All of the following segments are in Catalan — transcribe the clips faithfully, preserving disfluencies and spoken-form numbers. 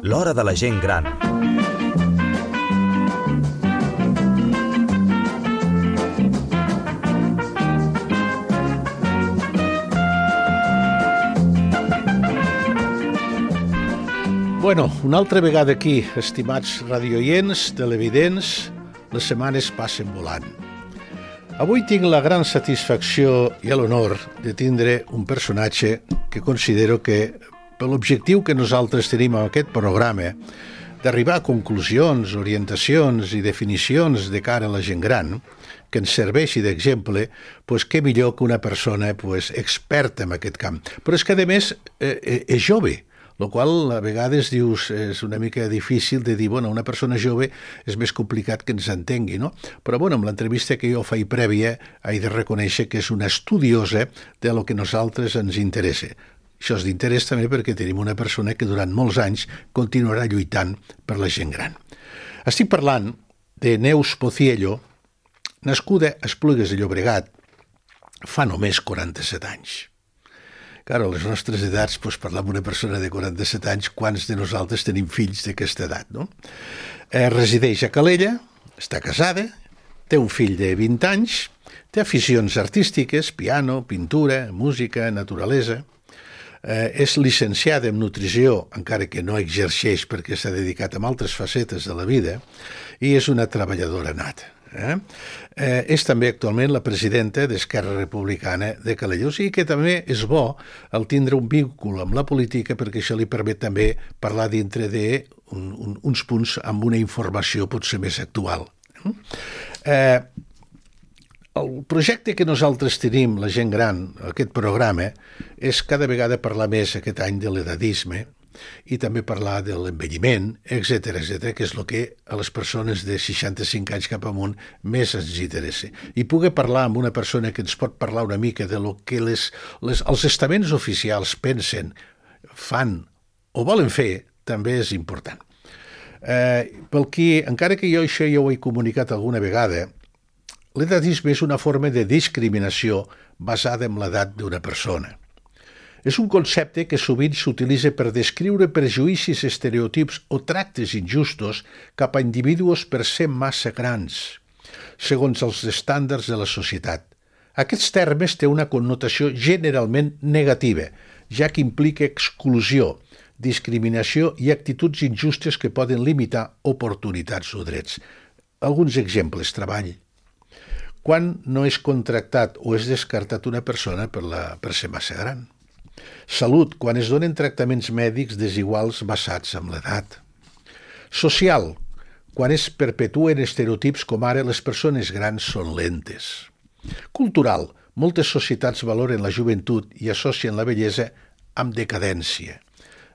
L'hora de la gent gran. Bueno, una altra vegada aquí, estimats radioients, televidents, les setmanes passen volant. Avui tinc la gran satisfacció i l'honor de tindre un personatge que considero que, per l'objectiu que nosaltres tenim en aquest programa, d'arribar a conclusions, orientacions i definicions de cara a la gent gran, que ens serveixi d'exemple, pues, què millor que una persona pues, experta en aquest camp. Però és que, a més, eh, és jove, el qual a vegades dius és una mica difícil de dir, bueno, una persona jove és més complicat que ens entengui, no? Però, bueno, amb l'entrevista que jo faig prèvia, he de reconèixer que és una estudiosa de lo que nosaltres ens interessa. Això és d'interès també perquè tenim una persona que durant molts anys continuarà lluitant per la gent gran. Estic parlant de Neus Pociello, nascuda a Esplugues de Llobregat fa només quaranta-set anys. Claro, a les nostres edats, doncs, parlar amb una persona de quaranta-set anys, quants de nosaltres tenim fills d'aquesta edat, no? Eh, resideix a Calella, està casada, té un fill de vint anys, té aficions artístiques, piano, pintura, música, naturalesa, eh, és llicenciada en nutrició, encara que no exerceix perquè s'ha dedicat a altres facetes de la vida, i és una treballadora nata. Eh? Eh, és també actualment la presidenta d'Esquerra Republicana de Calella. O sigui que també és bo el tindre un vínculo amb la política perquè això li permet també parlar dintre d'uns punts amb una informació potser més actual. Eh, el projecte que nosaltres tenim, la gent gran, aquest programa, és cada vegada parlar més aquest any de l'edatisme i també parlar de l'envelliment, etcètera, etcètera, que és el que a les persones de seixanta-cinc anys cap amunt més ens interessa. I poder parlar amb una persona que ens pot parlar una mica de lo que les, les, els estaments oficials pensen, fan o volen fer, també és important. Eh, pel que, encara que jo això ja ho he comunicat alguna vegada, l'edatisme és una forma de discriminació basada en l'edat d'una persona. És un concepte que sovint s'utilitza per descriure prejuïcis, estereotips o tractes injustos cap a individus per ser massa grans, segons els estàndards de la societat. Aquests termes té una connotació generalment negativa, ja que implica exclusió, discriminació i actituds injustes que poden limitar oportunitats o drets. Alguns exemples: treball. Quan no és contractat o és descartat una persona per, la, per ser massa gran. Salut, quan es donen tractaments mèdics desiguals basats en l'edat. Social, quan es perpetuen estereotips com ara les persones grans són lentes. Cultural, moltes societats valoren la joventut i associen la bellesa amb decadència.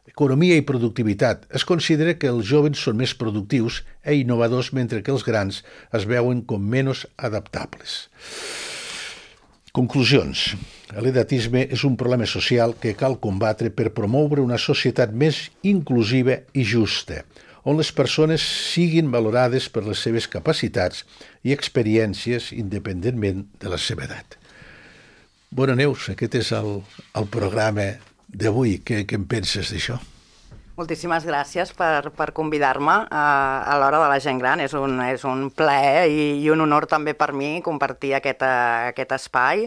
Economia i productivitat. Es considera que els joves són més productius i innovadors mentre que els grans es veuen com menys adaptables. Conclusions. L'edatisme és un problema social que cal combatre per promoure una societat més inclusiva i justa, on les persones siguin valorades per les seves capacitats i experiències independentment de la seva edat. Bona, Neus, aquest és el, el programa d'avui. Què, què en penses d'això? Moltíssimes gràcies per, per convidar-me a, a l'hora de la gent gran. És un, és un plaer i, i un honor també per mi compartir aquest, aquest espai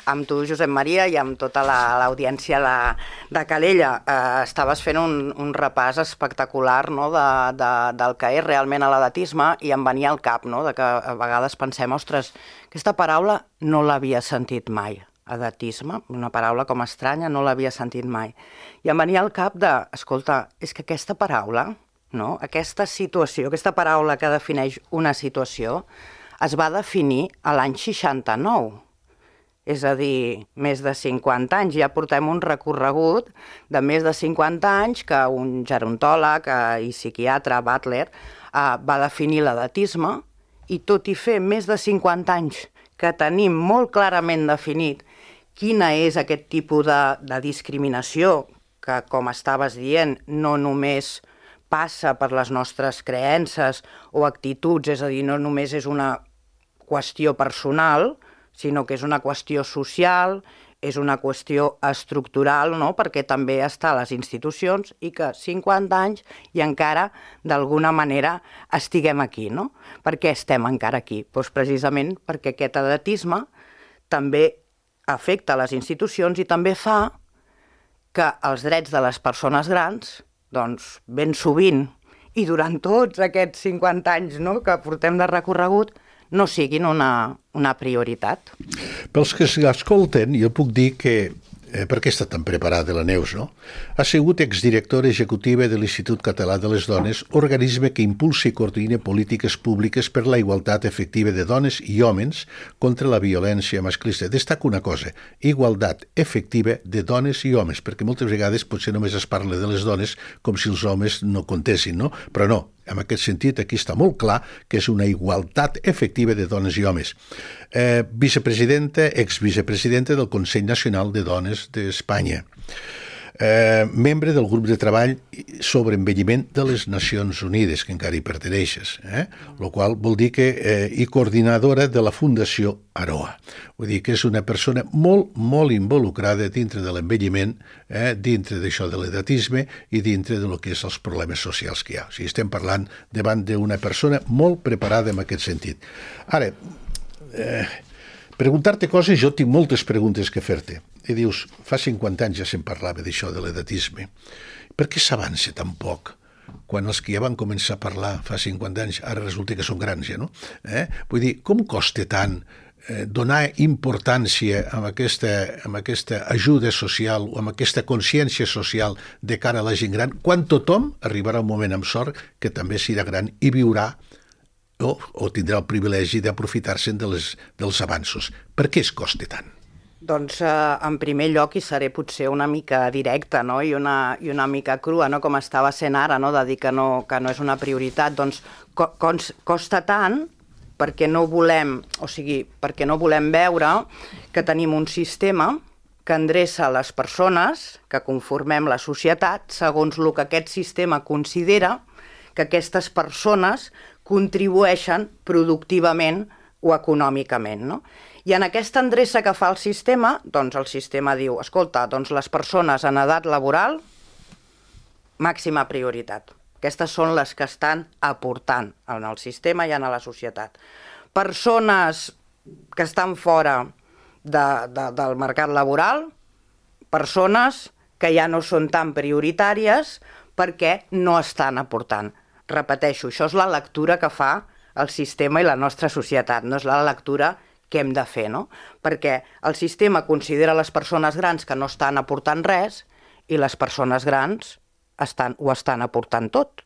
amb tu, Josep Maria, i amb tota la, l'audiència de, de Calella. Eh, estaves fent un, un repàs espectacular, no?, de, de, del que és realment l'edatisme, i em venia al cap, no?, de que a vegades pensem, ostres, aquesta paraula no l'havia sentit mai. Edatisme, una paraula com estranya, no l'havia sentit mai. I em venia al cap de, escolta, és que aquesta paraula, no? Aquesta situació, aquesta paraula que defineix una situació, es va definir a l'any seixanta-nou. És a dir, més de cinquanta anys. Ja portem un recorregut de més de cinquanta anys que un gerontòleg i psiquiatre, Butler, va definir l'edatisme, i tot i fer més de cinquanta anys que tenim molt clarament definit quina és aquest tipus de, de discriminació que, com estaves dient, no només passa per les nostres creences o actituds, és a dir, no només és una qüestió personal, sinó que és una qüestió social és una qüestió estructural, no? Perquè també està a les institucions i que cinquanta anys i encara d'alguna manera estiguem aquí, no? Per què estem encara aquí? Doncs precisament perquè aquest edatisme també afecta les institucions i també fa que els drets de les persones grans, doncs ben sovint i durant tots aquests cinquanta anys, no?, que portem de recorregut, no siguin una, una prioritat. Pels que s'escolten, jo puc dir que, eh, per què està tan preparada la Neus, no? Ha sigut exdirectora executiva de l'Institut Català de les Dones, organisme que impulsa i coordina polítiques públiques per la igualtat efectiva de dones i homes contra la violència masclista. Destaco una cosa, igualtat efectiva de dones i homes, perquè moltes vegades potser només es parla de les dones com si els homes no comptessin, no? Però no. En aquest sentit, aquí està molt clar que és una igualtat efectiva de dones i homes. Eh, vicepresidenta, exvicepresidenta del Consell Nacional de Dones d'Espanya. Eh, membre del grup de treball sobre envelliment de les Nacions Unides, que encara hi perteneixes, eh? El qual vol dir que eh, i coordinadora de la Fundació Aroa. Vull dir que és una persona molt, molt involucrada dintre de l'envelliment, eh, dintre d'això de l'edatisme i dintre de lo que és els problemes socials que hi ha. O sigui, estem parlant davant d'una persona molt preparada en aquest sentit. Ara, eh, preguntar-te coses, jo tinc moltes preguntes que fer-te. I dius, fa cinquanta anys ja se'n parlava d'això de l'edatisme. Per què s'avança tan poc? Quan els que ja van començar a parlar fa cinquanta anys, ara resulta que són grans ja, no? Eh? Vull dir, com costa tant eh, donar importància a aquesta, a aquesta ajuda social o a aquesta consciència social de cara a la gent gran, quan tothom arribarà un moment amb sort que també serà gran i viurà o, o tindrà el privilegi d'aprofitar-se'n de les, dels avanços. Per què es costa tant? Doncs, eh, en primer lloc, i seré potser una mica directa, no?, i una, i una mica crua, no?, com estava sent ara, no?, de dir que no, que no és una prioritat, doncs co costa tant perquè no volem, o sigui, perquè no volem veure que tenim un sistema que endreça les persones que conformem la societat segons el que aquest sistema considera que aquestes persones contribueixen productivament o econòmicament, no? I en aquesta endreça que fa el sistema, doncs el sistema diu, escolta, doncs les persones en edat laboral, màxima prioritat. Aquestes són les que estan aportant en el sistema i en la societat. Persones que estan fora de, de, del mercat laboral, persones que ja no són tan prioritàries perquè no estan aportant. Repeteixo, això és la lectura que fa el sistema i la nostra societat, no és la lectura que hem de fer, no? Perquè el sistema considera les persones grans que no estan aportant res i les persones grans estan, ho estan aportant tot,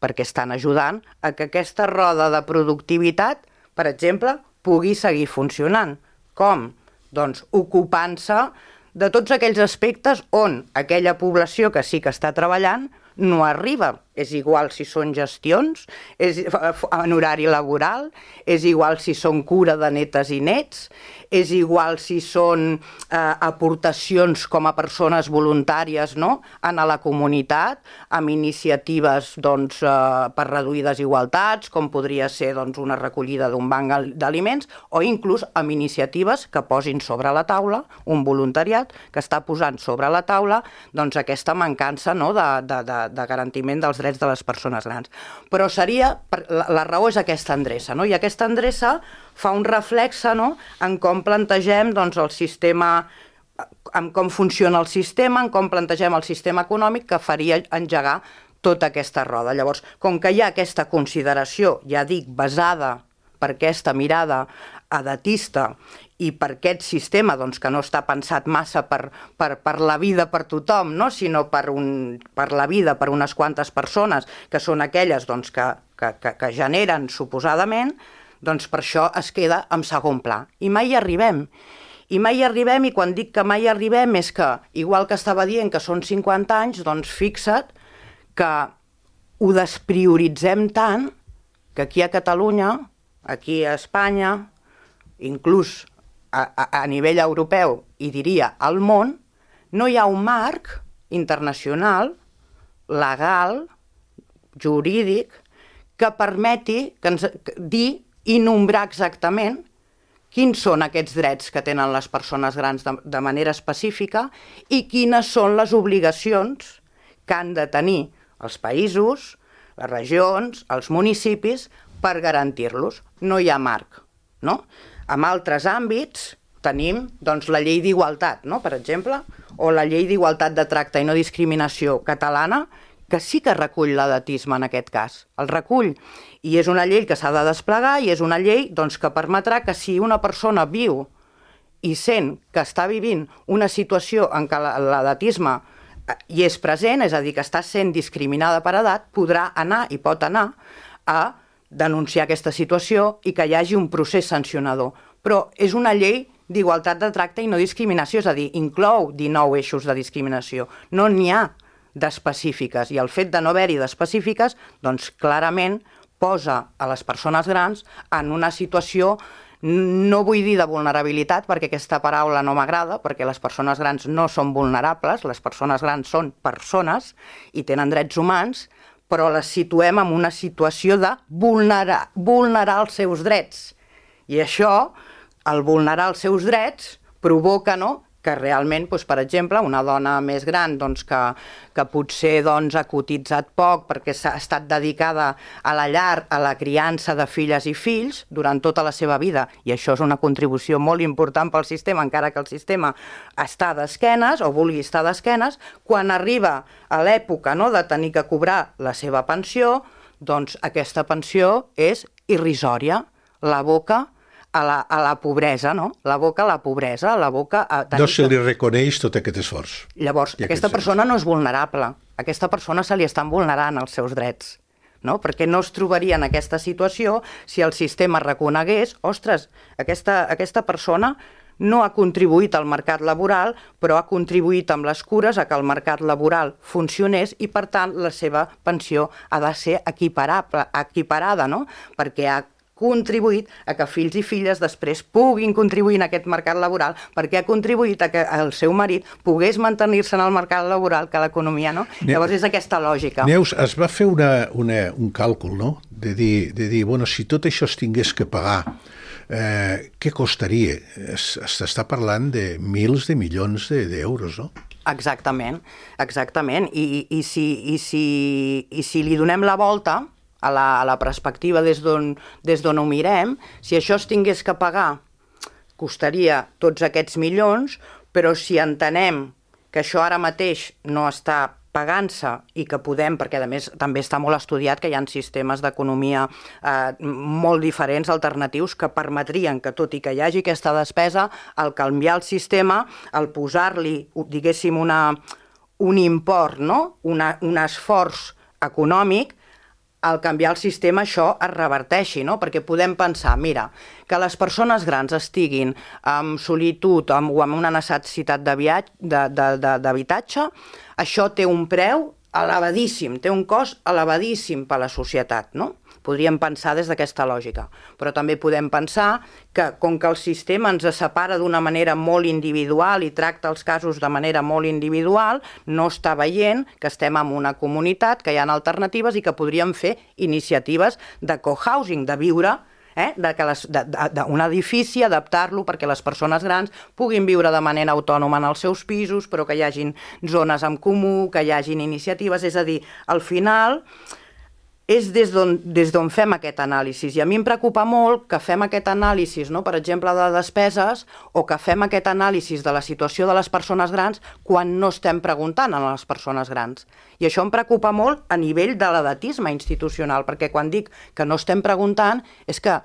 perquè estan ajudant a que aquesta roda de productivitat, per exemple, pugui seguir funcionant. Com? Doncs ocupant-se de tots aquells aspectes on aquella població que sí que està treballant no arriba. És igual si són gestions, és en horari laboral, és igual si són cura de netes i nets, és igual si són eh, aportacions com a persones voluntàries, no?, en la comunitat, amb iniciatives doncs, eh, per reduir desigualtats, com podria ser doncs, una recollida d'un banc d'aliments, o inclús amb iniciatives que posin sobre la taula, un voluntariat que està posant sobre la taula doncs, aquesta mancança, no?, de, de, de, de garantiment dels drets de les persones grans. Però seria, la, la raó és aquesta endreça, no? I aquesta endreça fa un reflexe, no?, en com plantegem doncs, el sistema, en com funciona el sistema, en com plantegem el sistema econòmic que faria engegar tota aquesta roda. Llavors, com que hi ha aquesta consideració, ja dic, basada per aquesta mirada edatista i per aquest sistema doncs, que no està pensat massa per, per, per la vida per tothom, no? Sinó per, un, per la vida per unes quantes persones, que són aquelles doncs, que, que, que, que generen suposadament, doncs per això es queda en segon pla. I mai hi arribem. I mai hi arribem, i quan dic que mai hi arribem és que, igual que estava dient que són cinquanta anys, doncs fixa't que ho desprioritzem tant que aquí a Catalunya, aquí a Espanya, inclús a, a, a nivell europeu, i diria al món, no hi ha un marc internacional, legal, jurídic, que permeti que ens, dir i nombrar exactament quins són aquests drets que tenen les persones grans de, de manera específica i quines són les obligacions que han de tenir els països, les regions, els municipis, per garantir-los. No hi ha marc, no? En altres àmbits tenim doncs, la llei d'igualtat, no? Per exemple, o la llei d'igualtat de tracte i no discriminació catalana, que sí que recull l'edatisme en aquest cas. El recull, i és una llei que s'ha de desplegar i és una llei doncs, que permetrà que si una persona viu i sent que està vivint una situació en què l'edatisme hi és present, és a dir, que està sent discriminada per edat, podrà anar i pot anar a denunciar aquesta situació i que hi hagi un procés sancionador. Però és una llei d'igualtat de tracte i no discriminació, és a dir, inclou dinou eixos de discriminació. No n'hi ha d'específiques, i el fet de no haver-hi d'específiques, doncs clarament posa a les persones grans en una situació, no vull dir de vulnerabilitat, perquè aquesta paraula no m'agrada, perquè les persones grans no són vulnerables, les persones grans són persones i tenen drets humans, però les situem en una situació de vulnerar, vulnerar els seus drets. I això, el vulnerar els seus drets, provoca, no?, que realment, doncs, per exemple, una dona més gran doncs, que, que potser doncs, ha cotitzat poc perquè s'ha estat dedicada a la llar, a la criança de filles i fills durant tota la seva vida, i això és una contribució molt important pel sistema, encara que el sistema està d'esquenes o vulgui estar d'esquenes, quan arriba a l'època, no?, de tenir que cobrar la seva pensió, doncs aquesta pensió és irrisòria, l'aboca a la, a la pobresa, no? L'aboca a la pobresa, l'aboca a... No se li reconeix tot aquest esforç. Llavors, aquesta persona no és vulnerable. A aquesta persona se li estan vulnerant els seus drets, no? Perquè no es trobaria en aquesta situació si el sistema reconegués, ostres, aquesta, aquesta persona no ha contribuït al mercat laboral, però ha contribuït amb les cures a que el mercat laboral funcionés i, per tant, la seva pensió ha de ser equiparable, equiparada, no? Perquè ha contribuït a que fills i filles després puguin contribuir en aquest mercat laboral, perquè ha contribuït a que el seu marit pogués mantenir-se en el mercat laboral, que l'economia, no? Ne Llavors és aquesta lògica. Neus, es va fer una, una, un càlcul, no?, de dir, de dir, bueno, si tot això es tingués que pagar, eh, què costaria? S'està parlant de mils de milions d'euros, no? Exactament, exactament. I, i, si, i, si, i si li donem la volta a la, a la perspectiva des d'on des d'on ho mirem, si això es tingués que pagar, costaria tots aquests milions, però si entenem que això ara mateix no està pagant-se i que podem, perquè a més també està molt estudiat que hi ha sistemes d'economia eh, molt diferents, alternatius, que permetrien que tot i que hi hagi aquesta despesa, al canviar el sistema, al posar-li, diguéssim, una, un import, no?, una, un esforç econòmic, al canviar el sistema això es reverteixi, no? Perquè podem pensar, mira, que les persones grans estiguin en solitud amb, o amb una necessitat d'habitatge, això té un preu elevadíssim, té un cost elevadíssim per a la societat, no? Podríem pensar des d'aquesta lògica, però també podem pensar que com que el sistema ens separa d'una manera molt individual i tracta els casos de manera molt individual, no està veient que estem en una comunitat, que hi ha alternatives i que podríem fer iniciatives de cohousing, de viure, eh, d'un edifici, adaptar-lo perquè les persones grans puguin viure de manera autònoma en els seus pisos, però que hi hagin zones en comú, que hi hagin iniciatives, és a dir, al final és des d'on fem aquest anàlisi. I a mi em preocupa molt que fem aquest anàlisi, no?, per exemple, de despeses, o que fem aquest anàlisi de la situació de les persones grans quan no estem preguntant a les persones grans. I això em preocupa molt a nivell de l'edatisme institucional, perquè quan dic que no estem preguntant és que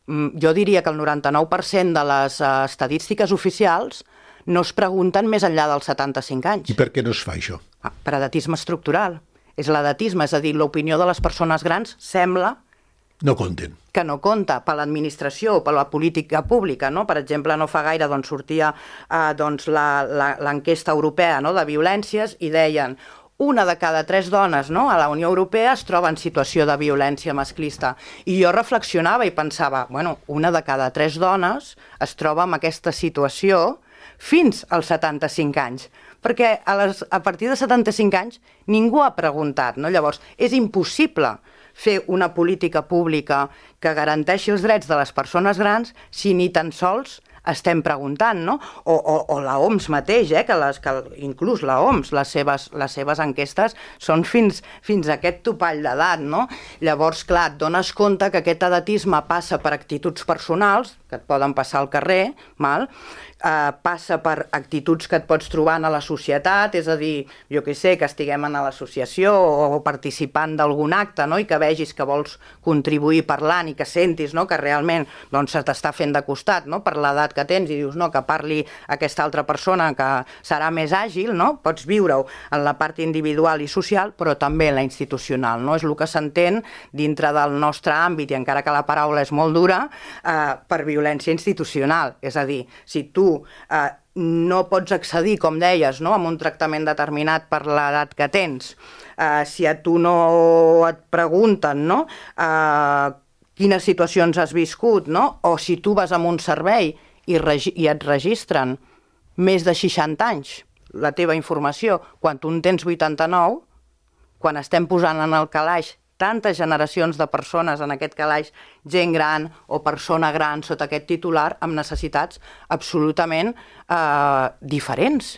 jo diria que el noranta-nou per cent de les estadístiques oficials no es pregunten més enllà dels setanta-cinc anys. I per què no es fa això? Ah, per edatisme estructural. És l'edatisme, és a dir, l'opinió de les persones grans sembla no compten. Que no compta per l'administració o per la política pública, no? Per exemple, no fa gaire doncs, sortia eh, doncs, l'enquesta europea, no?, de violències, i deien una de cada tres dones, no?, a la Unió Europea es troba en situació de violència masclista. I jo reflexionava i pensava, bueno, una de cada tres dones es troba en aquesta situació fins als setanta-cinc anys. Perquè a, les, a partir de setanta-cinc anys ningú ha preguntat, no? Llavors, és impossible fer una política pública que garanteixi els drets de les persones grans si ni tan sols estem preguntant, no? O, o, o la O M S mateix, eh? que, les, que inclús la O M S, les seves, les seves enquestes són fins, fins a aquest topall d'edat, no? Llavors, clar, et dones compte que aquest edatisme passa per actituds personals, que et poden passar al carrer, mal, eh, passa per actituds que et pots trobar a la societat, és a dir, jo què sé, que estiguem en l'associació o participant d'algun acte, no? I que vegis que vols contribuir parlant i que sentis, no? Que realment doncs, se t'està fent de costat, no? Per l'edat que tens i dius no, que parli aquesta altra persona que serà més àgil, no? Pots viure-ho en la part individual i social, però també en la institucional, no? És el que s'entén dintre del nostre àmbit, i encara que la paraula és molt dura, eh, per violència institucional. És a dir, si tu eh, no pots accedir, com deies, no? A un tractament determinat per l'edat que tens, eh, si a tu no et pregunten, no? Eh, quines situacions has viscut, no? O si tu vas a un servei i, i et registren més de seixanta anys la teva informació, quan tu en tens vuitanta-nou, quan estem posant en el calaix tantes generacions de persones, en aquest calaix gent gran o persona gran sota aquest titular, amb necessitats absolutament eh, diferents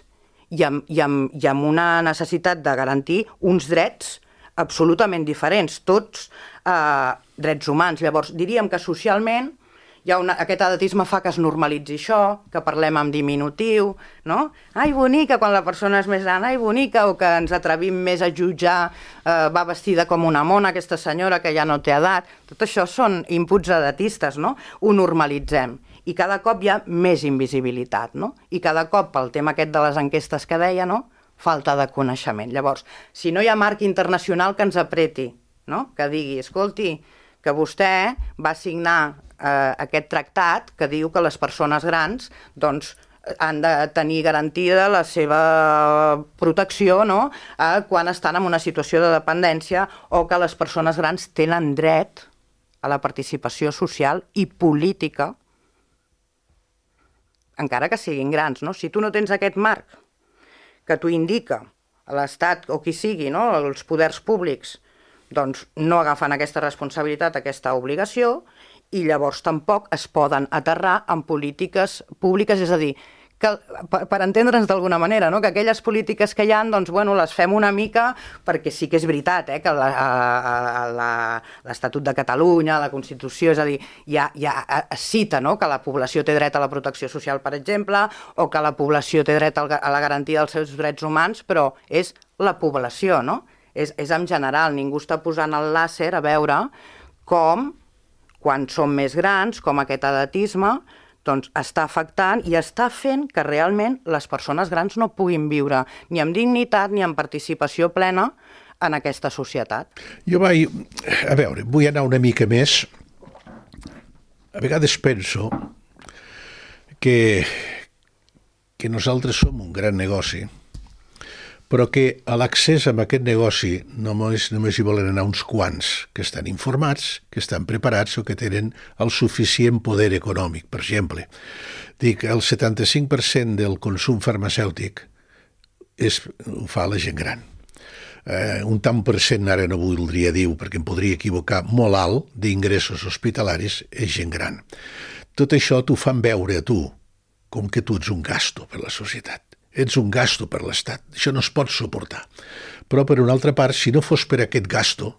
i amb, i, amb, i amb una necessitat de garantir uns drets absolutament diferents, tots eh, drets humans. Llavors, diríem que socialment hi ha una, aquest edatisme fa que es normalitzi això, que parlem en diminutiu, no? Ai, bonica, quan la persona és més gran, ai, bonica, o que ens atrevim més a jutjar, eh, va vestida com una mona, aquesta senyora que ja no té edat. Tot això són inputs edatistes, no? Ho normalitzem. I cada cop hi ha més invisibilitat, no? I cada cop, pel tema aquest de les enquestes que deia, no? Falta de coneixement. Llavors, si no hi ha marc internacional que ens apreti, no? Que digui, escolti, que vostè va signar eh, aquest tractat que diu que les persones grans doncs, han de tenir garantida la seva protecció, no? eh, quan estan en una situació de dependència, o que les persones grans tenen dret a la participació social i política, encara que siguin grans. No? Si tu no tens aquest marc que t'ho indica l'Estat o qui sigui, no? Els poders públics, doncs no agafen aquesta responsabilitat, aquesta obligació, i llavors tampoc es poden aterrar en polítiques públiques, és a dir, que, per, per entendre'ns d'alguna manera, no? Que aquelles polítiques que hi ha, doncs, bueno, les fem una mica, perquè sí que és veritat, eh? Que l'Estatut de Catalunya, la Constitució, és a dir, ja, ja es cita, no? Que la població té dret a la protecció social, per exemple, o que la població té dret a la garantia dels seus drets humans, però és la població, no? És, és en general, ningú està posant el làser a veure com, quan som més grans, com aquest edatisme, doncs està afectant i està fent que realment les persones grans no puguin viure ni amb dignitat ni amb participació plena en aquesta societat. Jo vaig, a veure, vull anar una mica més. A vegades penso que, que nosaltres som un gran negoci, però que a l'accés a aquest negoci només, només hi volen anar uns quants que estan informats, que estan preparats o que tenen el suficient poder econòmic. Per exemple, dic, el setanta-cinc per cent del consum farmacèutic és, ho fa la gent gran. Eh, un tant per cent, ara no voldria dir, perquè em podria equivocar, molt alt d'ingressos hospitalaris és gent gran. Tot això t'ho fan veure a tu com que tu ets un gasto per la societat. Ets un gasto per l'Estat. Això no es pot suportar. Però, per una altra part, si no fos per aquest gasto,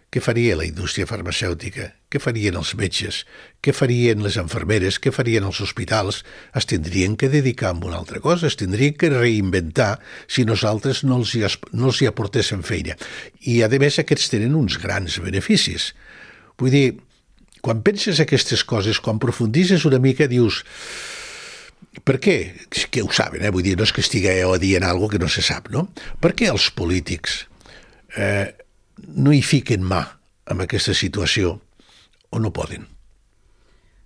què faria la indústria farmacèutica? Què farien els metges? Què farien les infermeres? Què farien els hospitals? Es tindrien que dedicar a una altra cosa, es tindrien que reinventar si nosaltres no els hi, no els hi aportéssim feina. I, a més, aquests tenen uns grans beneficis. Vull dir, quan penses aquestes coses, quan profundisses una mica, dius... Per què? Que ho saben, eh? Vull dir, no és que estigueu dient alguna cosa que no se sap, no? Per què els polítics eh, no hi fiquen mà en aquesta situació o no poden?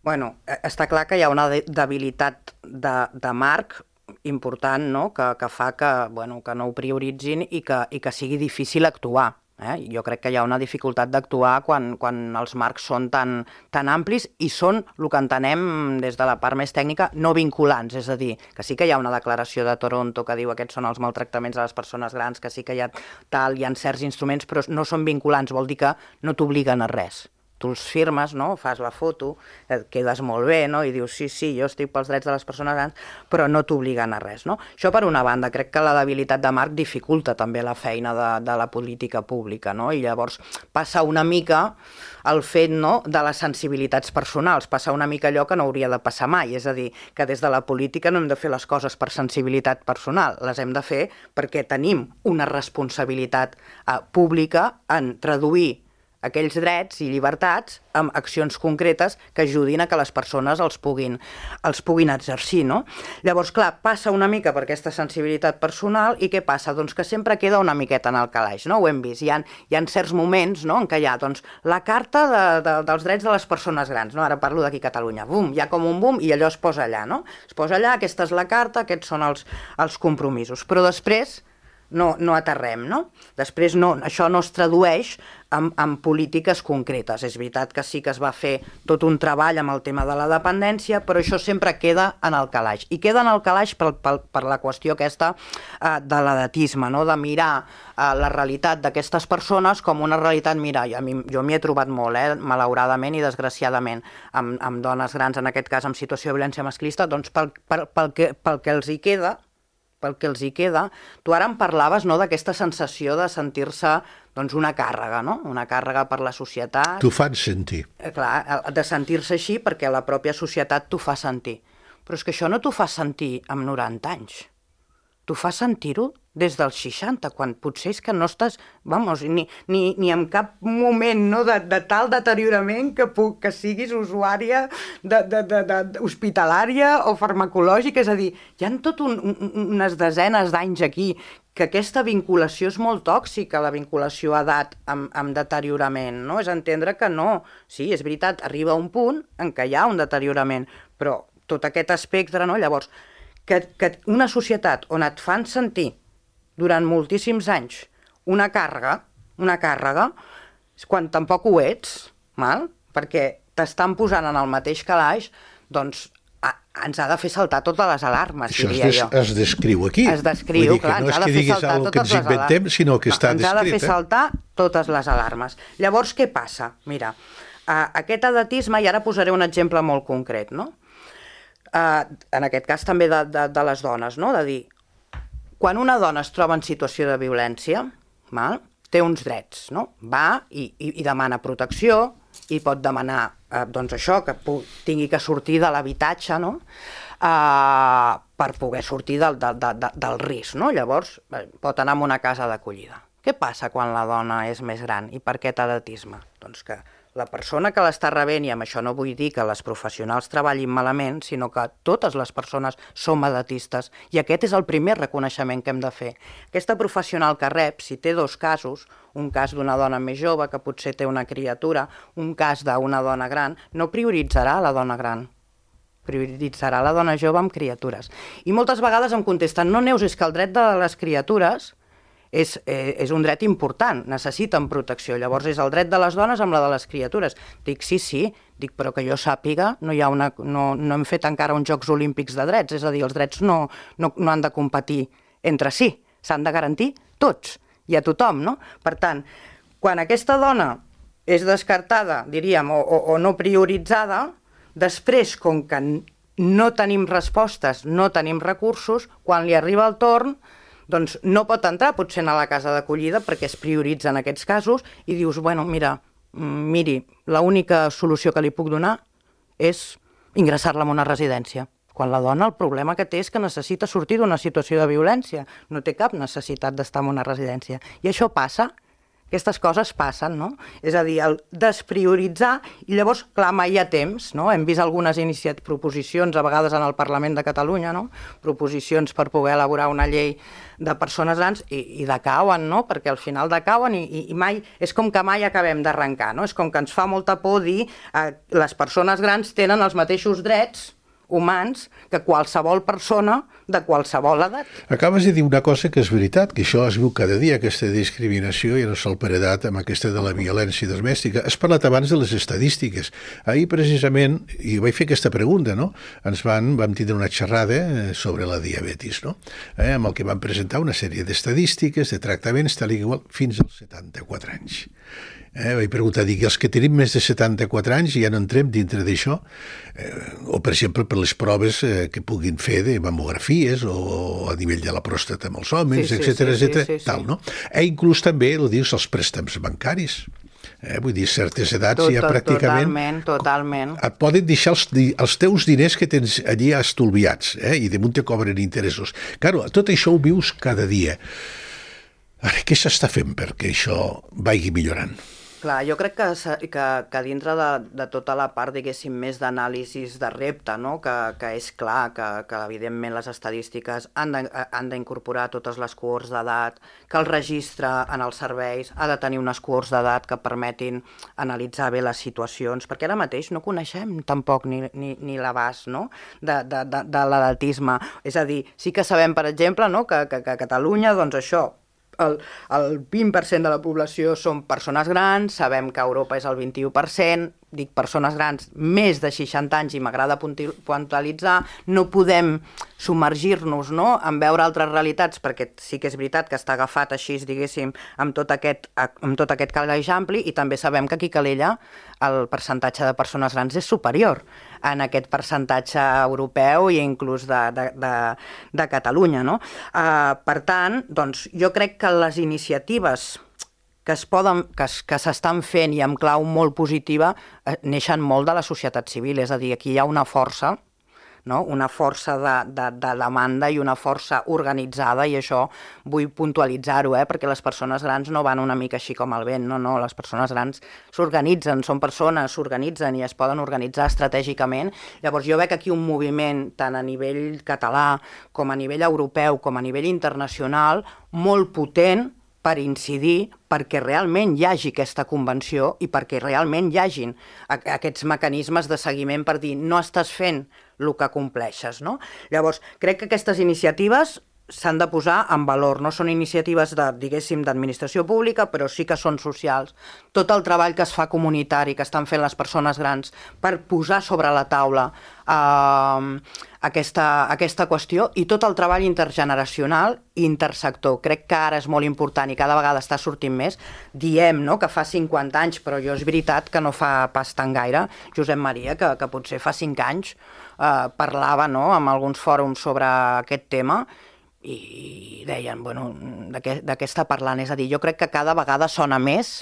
Bueno, està clar que hi ha una debilitat de, de marc important, no? que, que fa que, bueno, que no ho prioritzin i que, i que sigui difícil actuar. Eh? Jo crec que hi ha una dificultat d'actuar quan, quan els marcs són tan, tan amplis i són, el que entenem des de la part més tècnica, no vinculants. És a dir, que sí que hi ha una declaració de Toronto que diu aquests són els maltractaments a les persones grans, que sí que hi ha tal, hi ha certs instruments, però no són vinculants, vol dir que no t'obliguen a res. Tu els firmes, no? Fas la foto, et quedes molt bé, no? I dius, sí, sí, jo estic pels drets de les persones grans, però no t'obliguen a res, no? Això per una banda, crec que la debilitat de marc dificulta també la feina de, de la política pública, no? I llavors passa una mica el fet, no?, de les sensibilitats personals, passa una mica allò que no hauria de passar mai, és a dir, que des de la política no hem de fer les coses per sensibilitat personal, les hem de fer perquè tenim una responsabilitat eh, pública en traduir aquells drets i llibertats amb accions concretes que ajudin a que les persones els puguin, els puguin exercir, no? Llavors, clar, passa una mica per aquesta sensibilitat personal i què passa? Doncs que sempre queda una miqueta en el calaix, no? Ho hem vist. Hi ha, hi ha certs moments, no?, en què hi ha, doncs, la carta de, de, dels drets de les persones grans, no? Ara parlo d'aquí a Catalunya. Bum, hi ha com un bum i allò es posa allà, no? Es posa allà, aquesta és la carta, aquests són els, els compromisos. Però després no, no aterrem, no? Després no, això no es tradueix en, en polítiques concretes. És veritat que sí que es va fer tot un treball amb el tema de la dependència, però això sempre queda en el calaix. I queda en el calaix per, per, per la qüestió aquesta eh, de l'edatisme, no? De mirar eh, la realitat d'aquestes persones com una realitat, mira, a mi, jo m'hi he trobat molt, eh, malauradament i desgraciadament, amb, amb dones grans, en aquest cas, en situació de violència masclista, doncs pel, pel, pel, que, pel que els hi queda, pel que els hi queda. Tu ara em parlaves, no?, d'aquesta sensació de sentir-se, doncs, una càrrega, no? Una càrrega per la societat. T'ho fan sentir. Eh, clar, de sentir-se així perquè la pròpia societat t'ho fa sentir. Però és que això no t'ho fa sentir amb noranta anys. T'ho fa sentir-ho des dels seixanta, quan potser és que no estàs, vamos, ni, ni, ni en cap moment, no?, de, de tal deteriorament que, puc, que siguis usuària de, de, de, de, hospitalària o farmacològica. És a dir, hi ha tot un, un, unes desenes d'anys aquí que aquesta vinculació és molt tòxica, la vinculació a edat amb, amb deteriorament, no? És entendre que no. Sí, és veritat, arriba un punt en què hi ha un deteriorament, però tot aquest espectre, no? Llavors, que, que una societat on et fan sentir durant moltíssims anys una càrrega, una càrrega, quan tampoc ho ets, mal? Perquè t'estan posant en el mateix calaix, doncs a, ens ha de fer saltar totes les alarmes, això diria es des, jo. Es descriu aquí. Es descriu, Vull dir, clar, que no és que diguis alguna que ens inventem, sinó que no, està ens descrit. Ens ha de fer eh? saltar totes les alarmes. Llavors, què passa? Mira, uh, aquest edatisme, i ara posaré un exemple molt concret, no? Uh, en aquest cas també de, de, de les dones, no? De dir, quan una dona es troba en situació de violència, val? Té uns drets, no? Va i, i, i demana protecció i pot demanar, eh, doncs això, que tingui que sortir de l'habitatge, no? Eh, per poder sortir del, del, del, del risc, no? Llavors pot anar a una casa d'acollida. Què passa quan la dona és més gran i per aquest edatisme? Doncs que la persona que l'està rebent, i amb això no vull dir que les professionals treballin malament, sinó que totes les persones som edatistes, i aquest és el primer reconeixement que hem de fer. Aquesta professional que rep, si té dos casos, un cas d'una dona més jove que potser té una criatura, un cas d'una dona gran, no prioritzarà la dona gran, prioritzarà la dona jove amb criatures. I moltes vegades em contesten, no, Neus, és que el dret de les criatures És, eh, és un dret important, necessiten protecció. Llavors és el dret de les dones amb la de les criatures. Dic, sí, sí, dic, però que jo sàpiga, no, hi ha una, no, no hem fet encara uns Jocs Olímpics de drets, és a dir, els drets no, no, no han de competir entre si, s'han de garantir tots i a tothom, no? Per tant, quan aquesta dona és descartada, diríem, o, o, o no prioritzada, després, com que no tenim respostes, no tenim recursos, quan li arriba el torn, doncs no pot entrar potser a la casa d'acollida perquè es prioritzen aquests casos i dius, bueno, mira, miri, l'única solució que li puc donar és ingressar-la en una residència. Quan la dona el problema que té és que necessita sortir d'una situació de violència, no té cap necessitat d'estar en una residència. I això passa, aquestes coses passen, no? És a dir, el desprioritzar, i llavors, clar, mai hi ha temps, no? Hem vist algunes iniciat proposicions, a vegades en el Parlament de Catalunya, no? Proposicions per poder elaborar una llei de persones grans i, i decauen, no? Perquè al final decauen i, i, i mai, és com que mai acabem d'arrencar, no? És com que ens fa molta por dir eh, les persones grans tenen els mateixos drets humans que qualsevol persona de qualsevol edat. Acabes de dir una cosa que és veritat, que això es viu cada dia, aquesta discriminació i no sol per edat amb aquesta de la violència domèstica. Has parlat abans de les estadístiques. Ahir, precisament, i vaig fer aquesta pregunta, no? Ens van, vam tindre una xerrada sobre la diabetis, no? Eh, amb el que van presentar una sèrie d'estadístiques, de tractaments, tal i igual, fins als setanta-quatre anys. Eh, vaig preguntar, dic, els que tenim més de setanta-quatre anys ja no entrem dintre d'això, eh, o per exemple per les proves eh, que puguin fer de mamografies o a nivell de la pròstata amb els homes, sí, sí, etcètera, sí, etcètera, sí, sí, sí. tal, no? E inclús també, ho dius, els préstecs bancaris. Eh, vull dir, certes edats Tot, ja tot, pràcticament totalment, totalment. et poden deixar els, els teus diners que tens allí estolviats, eh, i damunt te cobren interessos. Claro, tot això ho vius cada dia. Ara, què s'està fent perquè això vagi millorant? Clar, jo crec que, que, que dintre de, de tota la part, diguéssim, més d'anàlisis de repte, no? que, que és clar que, que evidentment les estadístiques han d'incorporar totes les cohorts d'edat, que el registre en els serveis ha de tenir unes cohorts d'edat que permetin analitzar bé les situacions, perquè ara mateix no coneixem tampoc ni, ni, ni l'abast, no? de, de, de, de l'edatisme. És a dir, sí que sabem, per exemple, no? que, que, que a Catalunya, doncs això, El, el vint per cent de la població són persones grans, sabem que a Europa és el vint-i-u per cent, dic persones grans més de seixanta anys i m'agrada puntualitzar, no podem submergir-nos, no?, en veure altres realitats, perquè sí que és veritat que està agafat així, diguéssim, amb tot aquest, amb tot aquest calaix ampli, i també sabem que aquí a Calella el percentatge de persones grans és superior en aquest percentatge europeu i inclús de, de, de, de Catalunya, no? Uh, per tant, doncs, jo crec que les iniciatives que es poden, que, que s'estan fent i amb clau molt positiva eh, neixen molt de la societat civil, és a dir, aquí hi ha una força, no? Una força de, de, de demanda i una força organitzada, i això vull puntualitzar-ho, eh? Perquè les persones grans no van una mica així com el vent, no, no, les persones grans s'organitzen, són persones, s'organitzen i es poden organitzar estratègicament. Llavors jo veig aquí un moviment tant a nivell català com a nivell europeu com a nivell internacional molt potent per incidir perquè realment hi hagi aquesta convenció i perquè realment hi hagin aquests mecanismes de seguiment per dir no estàs fent el que compleixes, no? Llavors, crec que aquestes iniciatives s'han de posar en valor, no són iniciatives de, diguéssim, d'administració pública, però sí que són socials. Tot el treball que es fa comunitari, que estan fent les persones grans per posar sobre la taula eh, aquesta, aquesta qüestió, i tot el treball intergeneracional i intersector. Crec que ara és molt important i cada vegada està sortint més. Diem, no?, que fa cinquanta anys, però jo és veritat que no fa pas tan gaire. Josep Maria, que, que potser fa cinc anys, eh, parlava, no?, amb alguns fòrums sobre aquest tema, i deien, bueno, de què, de què està parlant? És a dir, jo crec que cada vegada sona més,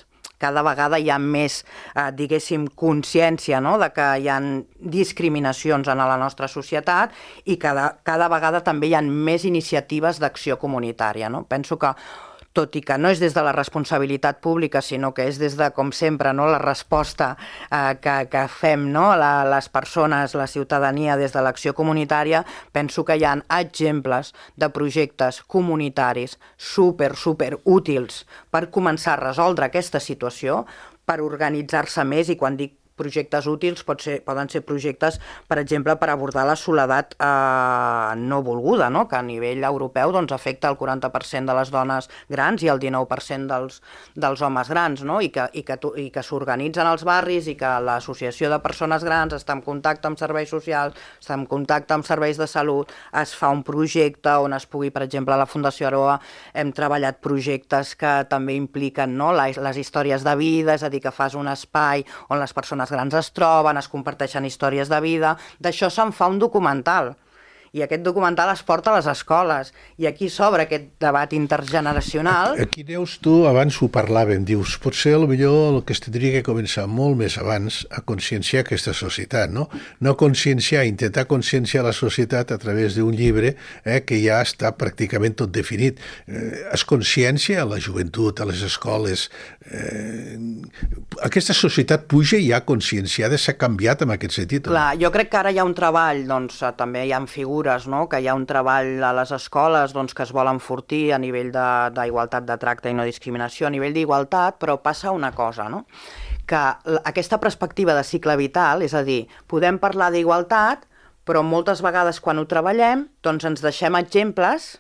cada vegada hi ha més, eh, diguéssim, consciència, no?, de que hi ha discriminacions en la nostra societat i cada, cada vegada també hi ha més iniciatives d'acció comunitària, no? Penso que tot i que no és des de la responsabilitat pública, sinó que és des de, com sempre, no, la resposta eh, que, que fem, no, la, les persones, la ciutadania, des de l'acció comunitària, penso que hi ha exemples de projectes comunitaris super, super útils per començar a resoldre aquesta situació, per organitzar-se més, i quan dic projectes útils pot ser, poden ser projectes, per exemple, per abordar la soledat eh, no volguda, no?, que a nivell europeu doncs, afecta el quaranta per cent de les dones grans i el dinou per cent dels, dels homes grans, no?, i que, i que, i que s'organitzen als barris i que l'associació de persones grans està en contacte amb serveis socials, està en contacte amb serveis de salut, es fa un projecte on es pugui, per exemple, a la Fundació Aroa hem treballat projectes que també impliquen, no?, les, les històries de vida, és a dir, que fas un espai on les persones grans es troben, es comparteixen històries de vida. D'això se'n fa un documental, i aquest documental es porta a les escoles, i aquí s'obre aquest debat intergeneracional. Aquí, Neus, tu abans ho parlaven, dius, potser potser el que es tindria que començar molt més abans a conscienciar aquesta societat, no? No conscienciar, intentar conscienciar la societat a través d'un llibre eh, que ja està pràcticament tot definit. Eh, es consciència a la joventut, a les escoles. Eh, aquesta societat puja i ja conscienciada, s'ha canviat en aquest sentit. Clar, jo crec que ara hi ha un treball, doncs també hi ha figures, no?, que hi ha un treball a les escoles doncs, que es vol enfortir a nivell d'igualtat de, de tracte i no discriminació, a nivell d'igualtat, però passa una cosa, no?, que aquesta perspectiva de cicle vital, és a dir, podem parlar d'igualtat, però moltes vegades quan ho treballem doncs ens deixem exemples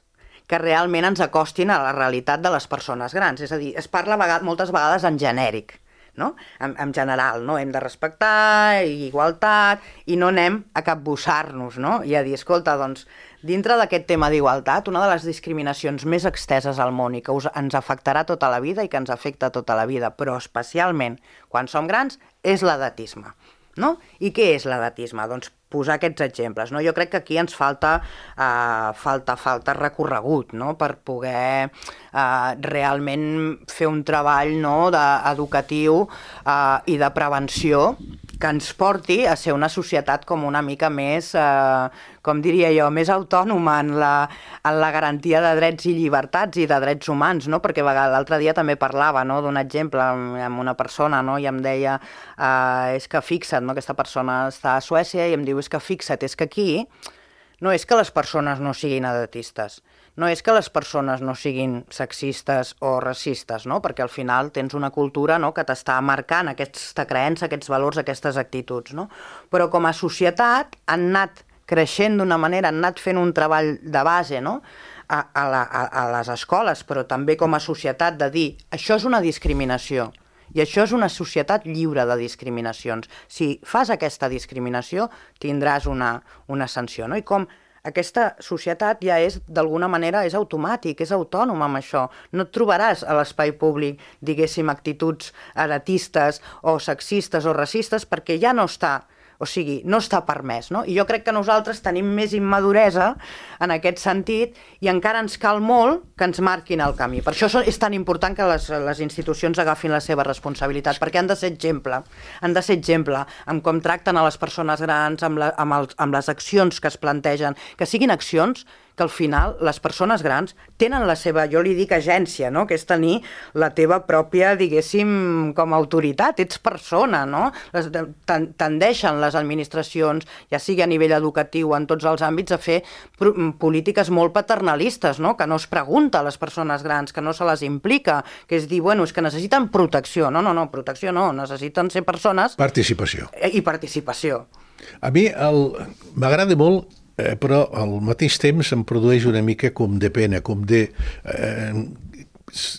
que realment ens acostin a la realitat de les persones grans. És a dir, es parla vegad- moltes vegades en genèric, no? En, en general, no? Hem de respectar, igualtat, i no anem a capbussar-nos, no? I a dir, escolta, doncs, dintre d'aquest tema d'igualtat, una de les discriminacions més exteses al món i que us, ens afectarà tota la vida i que ens afecta tota la vida, però especialment quan som grans, és l'edatisme, no? I què és l'edatisme? Doncs posar aquests exemples, no? Jo crec que aquí ens falta, uh, falta, falta recorregut, no? Per poder uh, realment fer un treball, no? de, educatiu uh, i de prevenció que ens porti a ser una societat com una mica més, eh, com diria jo, més autònoma en la, en la garantia de drets i llibertats i de drets humans, no? Perquè l'altre dia també parlava, no? D'un exemple amb, amb una persona, no? I em deia, eh, és que fixa't, no? Aquesta persona està a Suècia i em diu, és que fixa't, és que aquí no és que les persones no siguin edatistes, no és que les persones no siguin sexistes o racistes, no? Perquè al final tens una cultura, no? Que t'està marcant aquesta creença, aquests valors, aquestes actituds, no? Però com a societat han anat creixent d'una manera, han anat fent un treball de base, no? A, a, la, a, a les escoles, però també com a societat de dir això és una discriminació i això és una societat lliure de discriminacions. Si fas aquesta discriminació tindràs una, una sanció, no? I com aquesta societat ja és, d'alguna manera, és automàtic, és autònoma amb això. No et trobaràs a l'espai públic, diguéssim, actituds edatistes o sexistes o racistes perquè ja no està, o sigui, no està permès, no? I jo crec que nosaltres tenim més immaduresa en aquest sentit i encara ens cal molt que ens marquin el camí. Per això és tan important que les, les institucions agafin la seva responsabilitat, perquè han de ser exemple, han de ser exemple amb com tracten a les persones grans, amb, la, amb, els, amb les accions que es plantegen, que siguin accions que al final les persones grans tenen la seva, jo li dic agència, no? Que és tenir la teva pròpia, diguéssim, com a autoritat, ets persona, no? Les, tendeixen les administracions, ja sigui a nivell educatiu, en tots els àmbits, a fer polítiques molt paternalistes, no? Que no es pregunta a les persones grans, que no se les implica, que és dir, bueno, és que necessiten protecció. No, no, no, protecció no, necessiten ser persones... Participació. I participació. A mi m'agrada molt, Eh, però al mateix temps em produeix una mica com de pena, com de... Eh,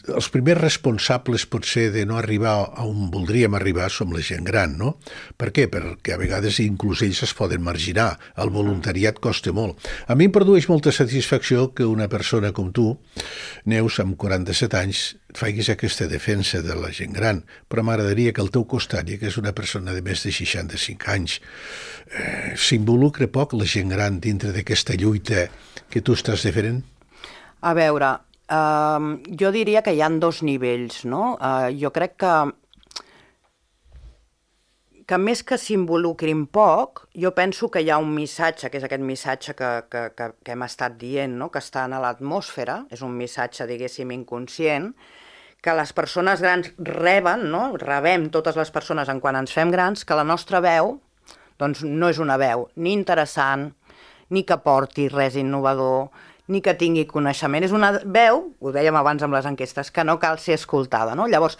els primers responsables potser de no arribar a on voldríem arribar som la gent gran, no? Per què? Perquè a vegades inclús ells es poden marginar, el voluntariat costa molt. A mi em produeix molta satisfacció que una persona com tu, Neus, amb quaranta-set anys, facis aquesta defensa de la gent gran, però m'agradaria que al teu costat, que és una persona de més de seixanta-cinc anys, eh, s'involucra poc la gent gran dintre d'aquesta lluita que tu estàs defendent? A veure, Uh, jo diria que hi ha dos nivells, no? Uh, jo crec que, que més que s'involucrin poc, jo penso que hi ha un missatge, que és aquest missatge que, que, que, que hem estat dient, no? Que està a l'atmosfera, és un missatge, diguéssim, inconscient, que les persones grans reben, no? Rebem totes les persones en quan ens fem grans, que la nostra veu doncs, no és una veu ni interessant, ni que porti res innovador, ni que tingui coneixement. És una veu, ho dèiem abans amb les enquestes, que no cal ser escoltada, no? Llavors,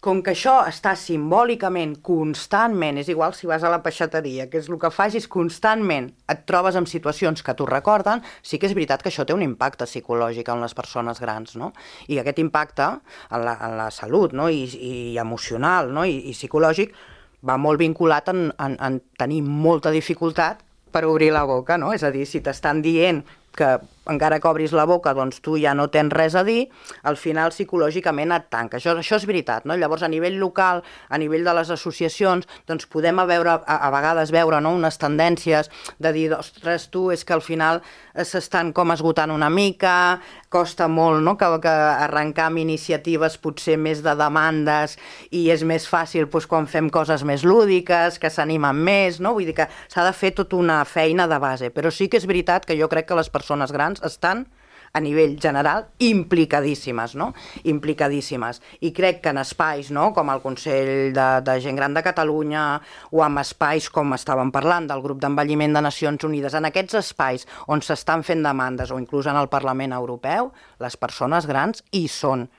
com que això està simbòlicament, constantment, és igual si vas a la peixateria, que és el que facis constantment, et trobes en situacions que t'ho recorden, sí que és veritat que això té un impacte psicològic en les persones grans, no? I aquest impacte en la, en la salut, no? I, i emocional, no? I, i psicològic va molt vinculat en, en, en tenir molta dificultat per obrir la boca, no? És a dir, si t'estan dient que encara que obris la boca, doncs tu ja no tens res a dir, al final psicològicament et tanca. Això, això és veritat, no? Llavors, a nivell local, a nivell de les associacions, doncs podem a, veure, a, a vegades veure, no? Unes tendències de dir, ostres, tu, és que al final s'estan com esgotant una mica, costa molt, no? Que, que arrencar amb iniciatives potser més de demandes i és més fàcil doncs, quan fem coses més lúdiques, que s'animen més, no? Vull dir que s'ha de fer tota una feina de base, però sí que és veritat que jo crec que les persones grans estan a nivell general implicadíssimes, no? Implicadíssimes. I crec que en espais, no? Com el Consell de, de Gent Gran de Catalunya o en espais com estàvem parlant del grup d'envelliment de Nacions Unides, en aquests espais on s'estan fent demandes o inclús en el Parlament Europeu, les persones grans hi són.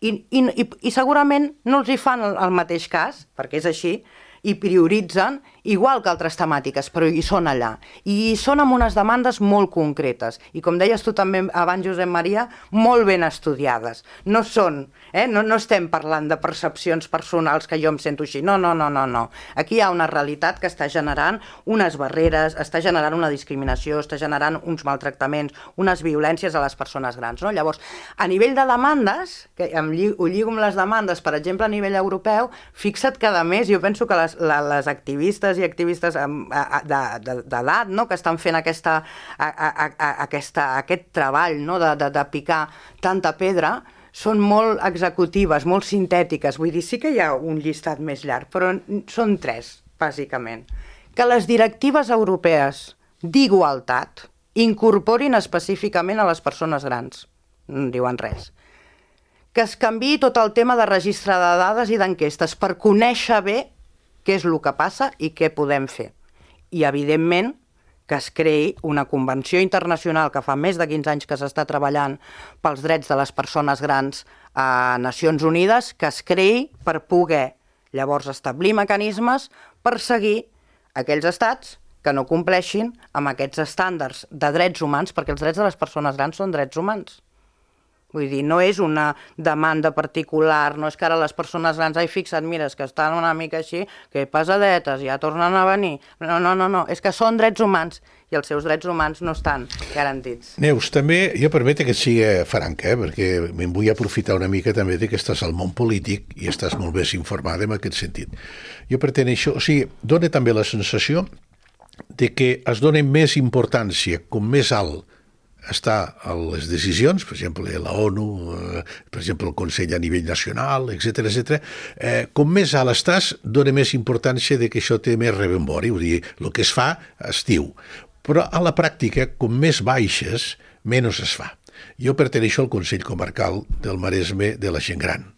I, i, i segurament no els hi fan el, el mateix cas, perquè és així, i prioritzen igual que altres temàtiques, però hi són allà. I hi són amb unes demandes molt concretes. I com deies tu també abans, Josep Maria, molt ben estudiades. No són, eh? no, no estem parlant de percepcions personals que jo em sento així. No, no, no, no, no. Aquí hi ha una realitat que està generant unes barreres, està generant una discriminació, està generant uns maltractaments, unes violències a les persones grans. No? Llavors, a nivell de demandes, que em lli ho lligo amb les demandes, per exemple, a nivell europeu, fixa't que, a més, jo penso que les, la, les activistes i activistes d'edat, no?, que estan fent aquesta, a, a, a, aquesta, aquest treball, no?, de, de, de picar tanta pedra, són molt executives, molt sintètiques. Vull dir, sí que hi ha un llistat més llarg, però són tres, bàsicament. Que les directives europees d'igualtat incorporin específicament a les persones grans. No en diuen res. Que es canviï tot el tema de registre de dades i d'enquestes per conèixer bé què és el que passa i què podem fer. I, evidentment, que es creï una convenció internacional que fa més de quinze anys que s'està treballant pels drets de les persones grans a Nacions Unides, que es creï per poder llavors establir mecanismes per seguir aquells estats que no compleixin amb aquests estàndards de drets humans, perquè els drets de les persones grans són drets humans. Vull dir, no és una demanda particular, no és que ara les persones grans, ai, fixa't, mira, és que estan una mica així, que pesadetes, ja tornen a venir. No, no, no, no, és que són drets humans i els seus drets humans no estan garantits. Neus, també, jo permete que et sigui franca, eh, perquè me'n vull aprofitar una mica també de que estàs al món polític i estàs molt més informada en aquest sentit. Jo perteneixo, o sigui, dona també la sensació de que es dona més importància, com més alt està a les decisions, per exemple, la ONU, eh, per exemple, el Consell a nivell nacional, etcètera, etcètera. Eh, com més alt estàs, dona més importància de que això té més rebombori, vull dir, el que es fa es diu. Però a la pràctica, com més baixes, menys es fa. Jo perteneixo al Consell Comarcal del Maresme de la gent gran.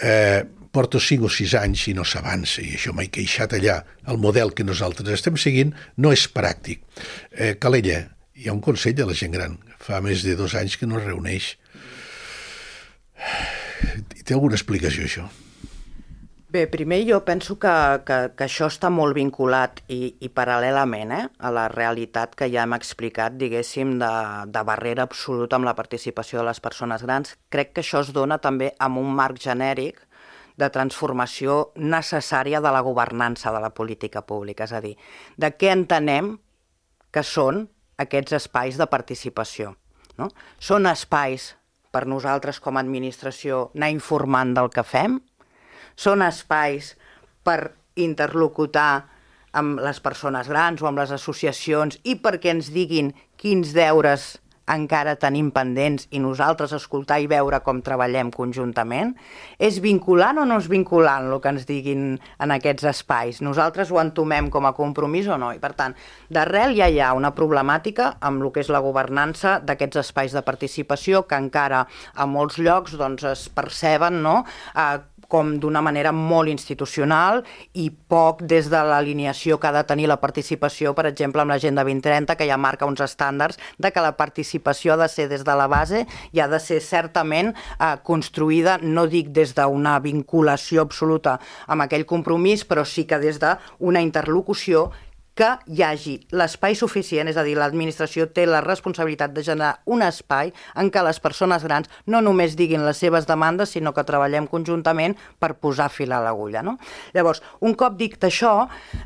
Eh, porto cinc o sis anys i no s'avança, i això m'he queixat allà. El model que nosaltres estem seguint no és pràctic. Eh, Calella, hi ha un Consell de la gent gran. Fa més de dos anys que no es reuneix. Té alguna explicació, això? Bé, primer jo penso que, que, que això està molt vinculat i, i paral·lelament eh, a la realitat que ja hem explicat, diguéssim, de, de barrera absoluta amb la participació de les persones grans. Crec que això es dona també amb un marc genèric de transformació necessària de la governança de la política pública. És a dir, de què entenem que són aquests espais de participació. No? Són espais per nosaltres com a administració anar informant del que fem? Són espais per interlocutar amb les persones grans o amb les associacions i perquè ens diguin quins deures encara tenim pendents i nosaltres escoltar i veure com treballem conjuntament? És vinculant o no és vinculant el que ens diguin en aquests espais? Nosaltres ho entomem com a compromís o no? I per tant, d'arrel ja hi ha una problemàtica amb el que és la governança d'aquests espais de participació que encara a molts llocs doncs, es perceben no? eh, com d'una manera molt institucional i poc des de l'alineació que ha de tenir la participació, per exemple, amb l'Agenda vint trenta, que ja marca uns estàndards de que la participació ha de ser des de la base i ha de ser certament eh, construïda, no dic des d'una vinculació absoluta amb aquell compromís, però sí que des d'una interlocució que hi hagi l'espai suficient, és a dir, l'administració té la responsabilitat de generar un espai en què les persones grans no només diguin les seves demandes, sinó que treballem conjuntament per posar fil a l'agulla. No? Llavors, un cop dit això,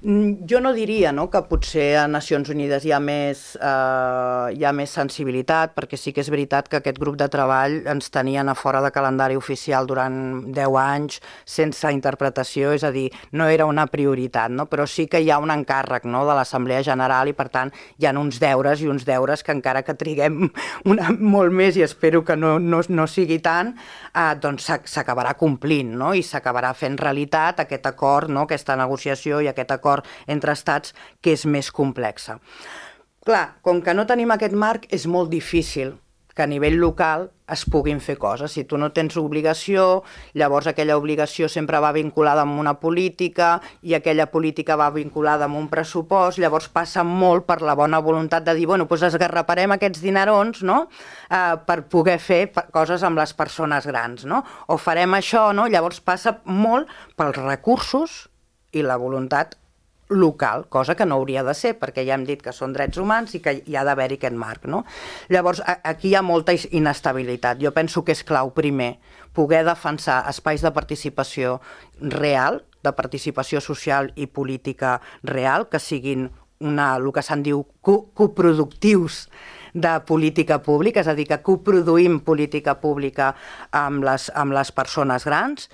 jo no diria no, que potser a Nacions Unides hi ha, més, eh, hi ha més sensibilitat, perquè sí que és veritat que aquest grup de treball ens tenien a fora de calendari oficial durant deu anys sense interpretació, és a dir, no era una prioritat, no? Però sí que hi ha un encàrrec, no?, de l'Assemblea General i, per tant, hi ha uns deures i uns deures que encara que triguem una, molt més i espero que no, no, no sigui tant, eh, doncs s'acabarà complint no? I s'acabarà fent realitat aquest acord, no? Aquesta negociació i aquest acord entre estats que és més complexa. Clar, com que no tenim aquest marc, és molt difícil que a nivell local es puguin fer coses. Si tu no tens obligació, llavors aquella obligació sempre va vinculada amb una política i aquella política va vinculada amb un pressupost, llavors passa molt per la bona voluntat de dir, bueno, doncs esgarraparem aquests dinerons no? eh, per poder fer coses amb les persones grans, no? O farem això, no? Llavors passa molt pels recursos i la voluntat local, cosa que no hauria de ser, perquè ja hem dit que són drets humans i que hi ha d'haver-hi aquest marc, no? Llavors, aquí hi ha molta inestabilitat. Jo penso que és clau, primer, poder defensar espais de participació real, de participació social i política real, que siguin una, el que se'n diu co coproductius de política pública, és a dir, que coproduïm política pública amb les, amb les persones grans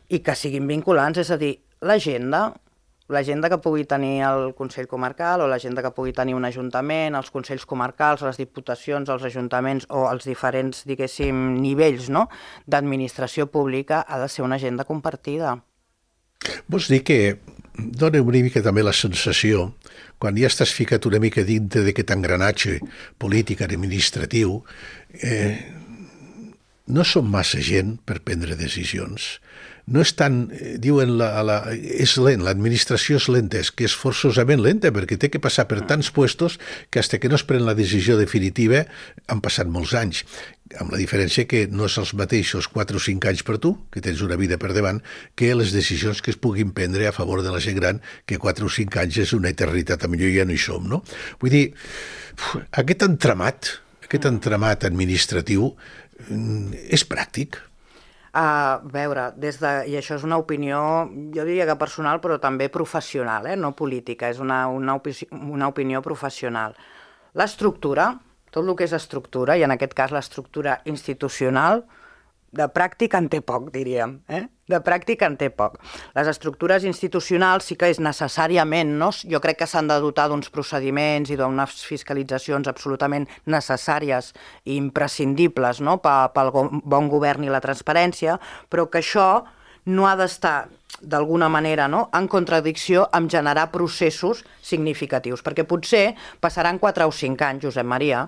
i que siguin vinculants, és a dir, l'agenda, l'agenda que pugui tenir el Consell Comarcal o l'agenda que pugui tenir un ajuntament, els Consells Comarcals, les Diputacions, els Ajuntaments o els diferents, diguéssim, nivells, no?, d'administració pública, ha de ser una agenda compartida. Vols dir que dona una mica també la sensació, quan ja estàs ficat una mica dintre d'aquest engranatge polític, administratiu, eh, no som massa gent per prendre decisions. No és tan, diuen, la, la, és lent, l'administració és lenta, és que és forçosament lenta, perquè té que passar per tants puestos que fins que no es pren la decisió definitiva han passat molts anys, amb la diferència que no és els mateixos quatre o cinc anys per tu, que tens una vida per davant, que les decisions que es puguin prendre a favor de la gent gran, que quatre o cinc anys és una eternitat, a millor ja no hi som, no? Vull dir, aquest entramat, aquest entramat administratiu és pràctic. A veure, des de, i això és una opinió, jo diria que personal, però també professional, eh? No política, és una, una, opi una opinió professional. L'estructura, tot el que és estructura, i en aquest cas l'estructura institucional, de pràctica en té poc, diríem. Eh? De pràctica en té poc. Les estructures institucionals sí que és necessàriament, no? Jo crec que s'han de dotar d'uns procediments i d'unes fiscalitzacions absolutament necessàries i imprescindibles, no?, pel bon govern i la transparència, però que això no ha d'estar d'alguna manera, no?, en contradicció amb generar processos significatius, perquè potser passaran quatre o cinc anys, Josep Maria,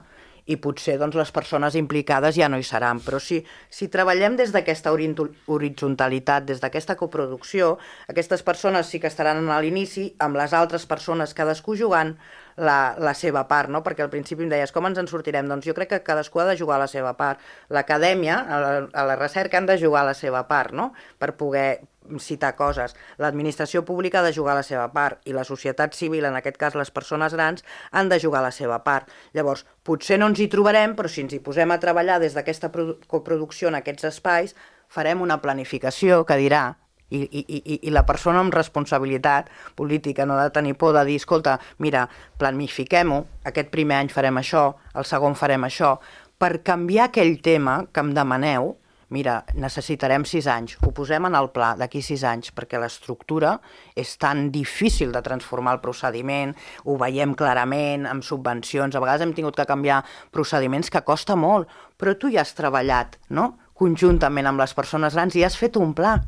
i potser doncs, les persones implicades ja no hi seran. Però si, si treballem des d'aquesta horitzontalitat, des d'aquesta coproducció, aquestes persones sí que estaran a l'inici amb les altres persones, cadascú jugant la, la seva part, no? Perquè al principi em deies, com ens en sortirem? Doncs jo crec que cadascú ha de jugar la seva part. L'acadèmia, a, la, a la recerca, han de jugar la seva part, no?, per poder citar coses. L'administració pública ha de jugar la seva part i la societat civil, en aquest cas les persones grans, han de jugar la seva part. Llavors, potser no ens hi trobarem, però si ens hi posem a treballar des d'aquesta coproducció en aquests espais, farem una planificació que dirà, i, i, i, i la persona amb responsabilitat política no ha de tenir por de dir, escolta, mira, planifiquem-ho, aquest primer any farem això, el segon farem això, per canviar aquell tema que em demaneu. Mira, necessitarem sis anys, ho posem en el pla d'aquí sis anys, perquè l'estructura és tan difícil de transformar el procediment, ho veiem clarament amb subvencions, a vegades hem tingut que canviar procediments que costa molt, però tu ja has treballat, no?, conjuntament amb les persones grans i has fet un pla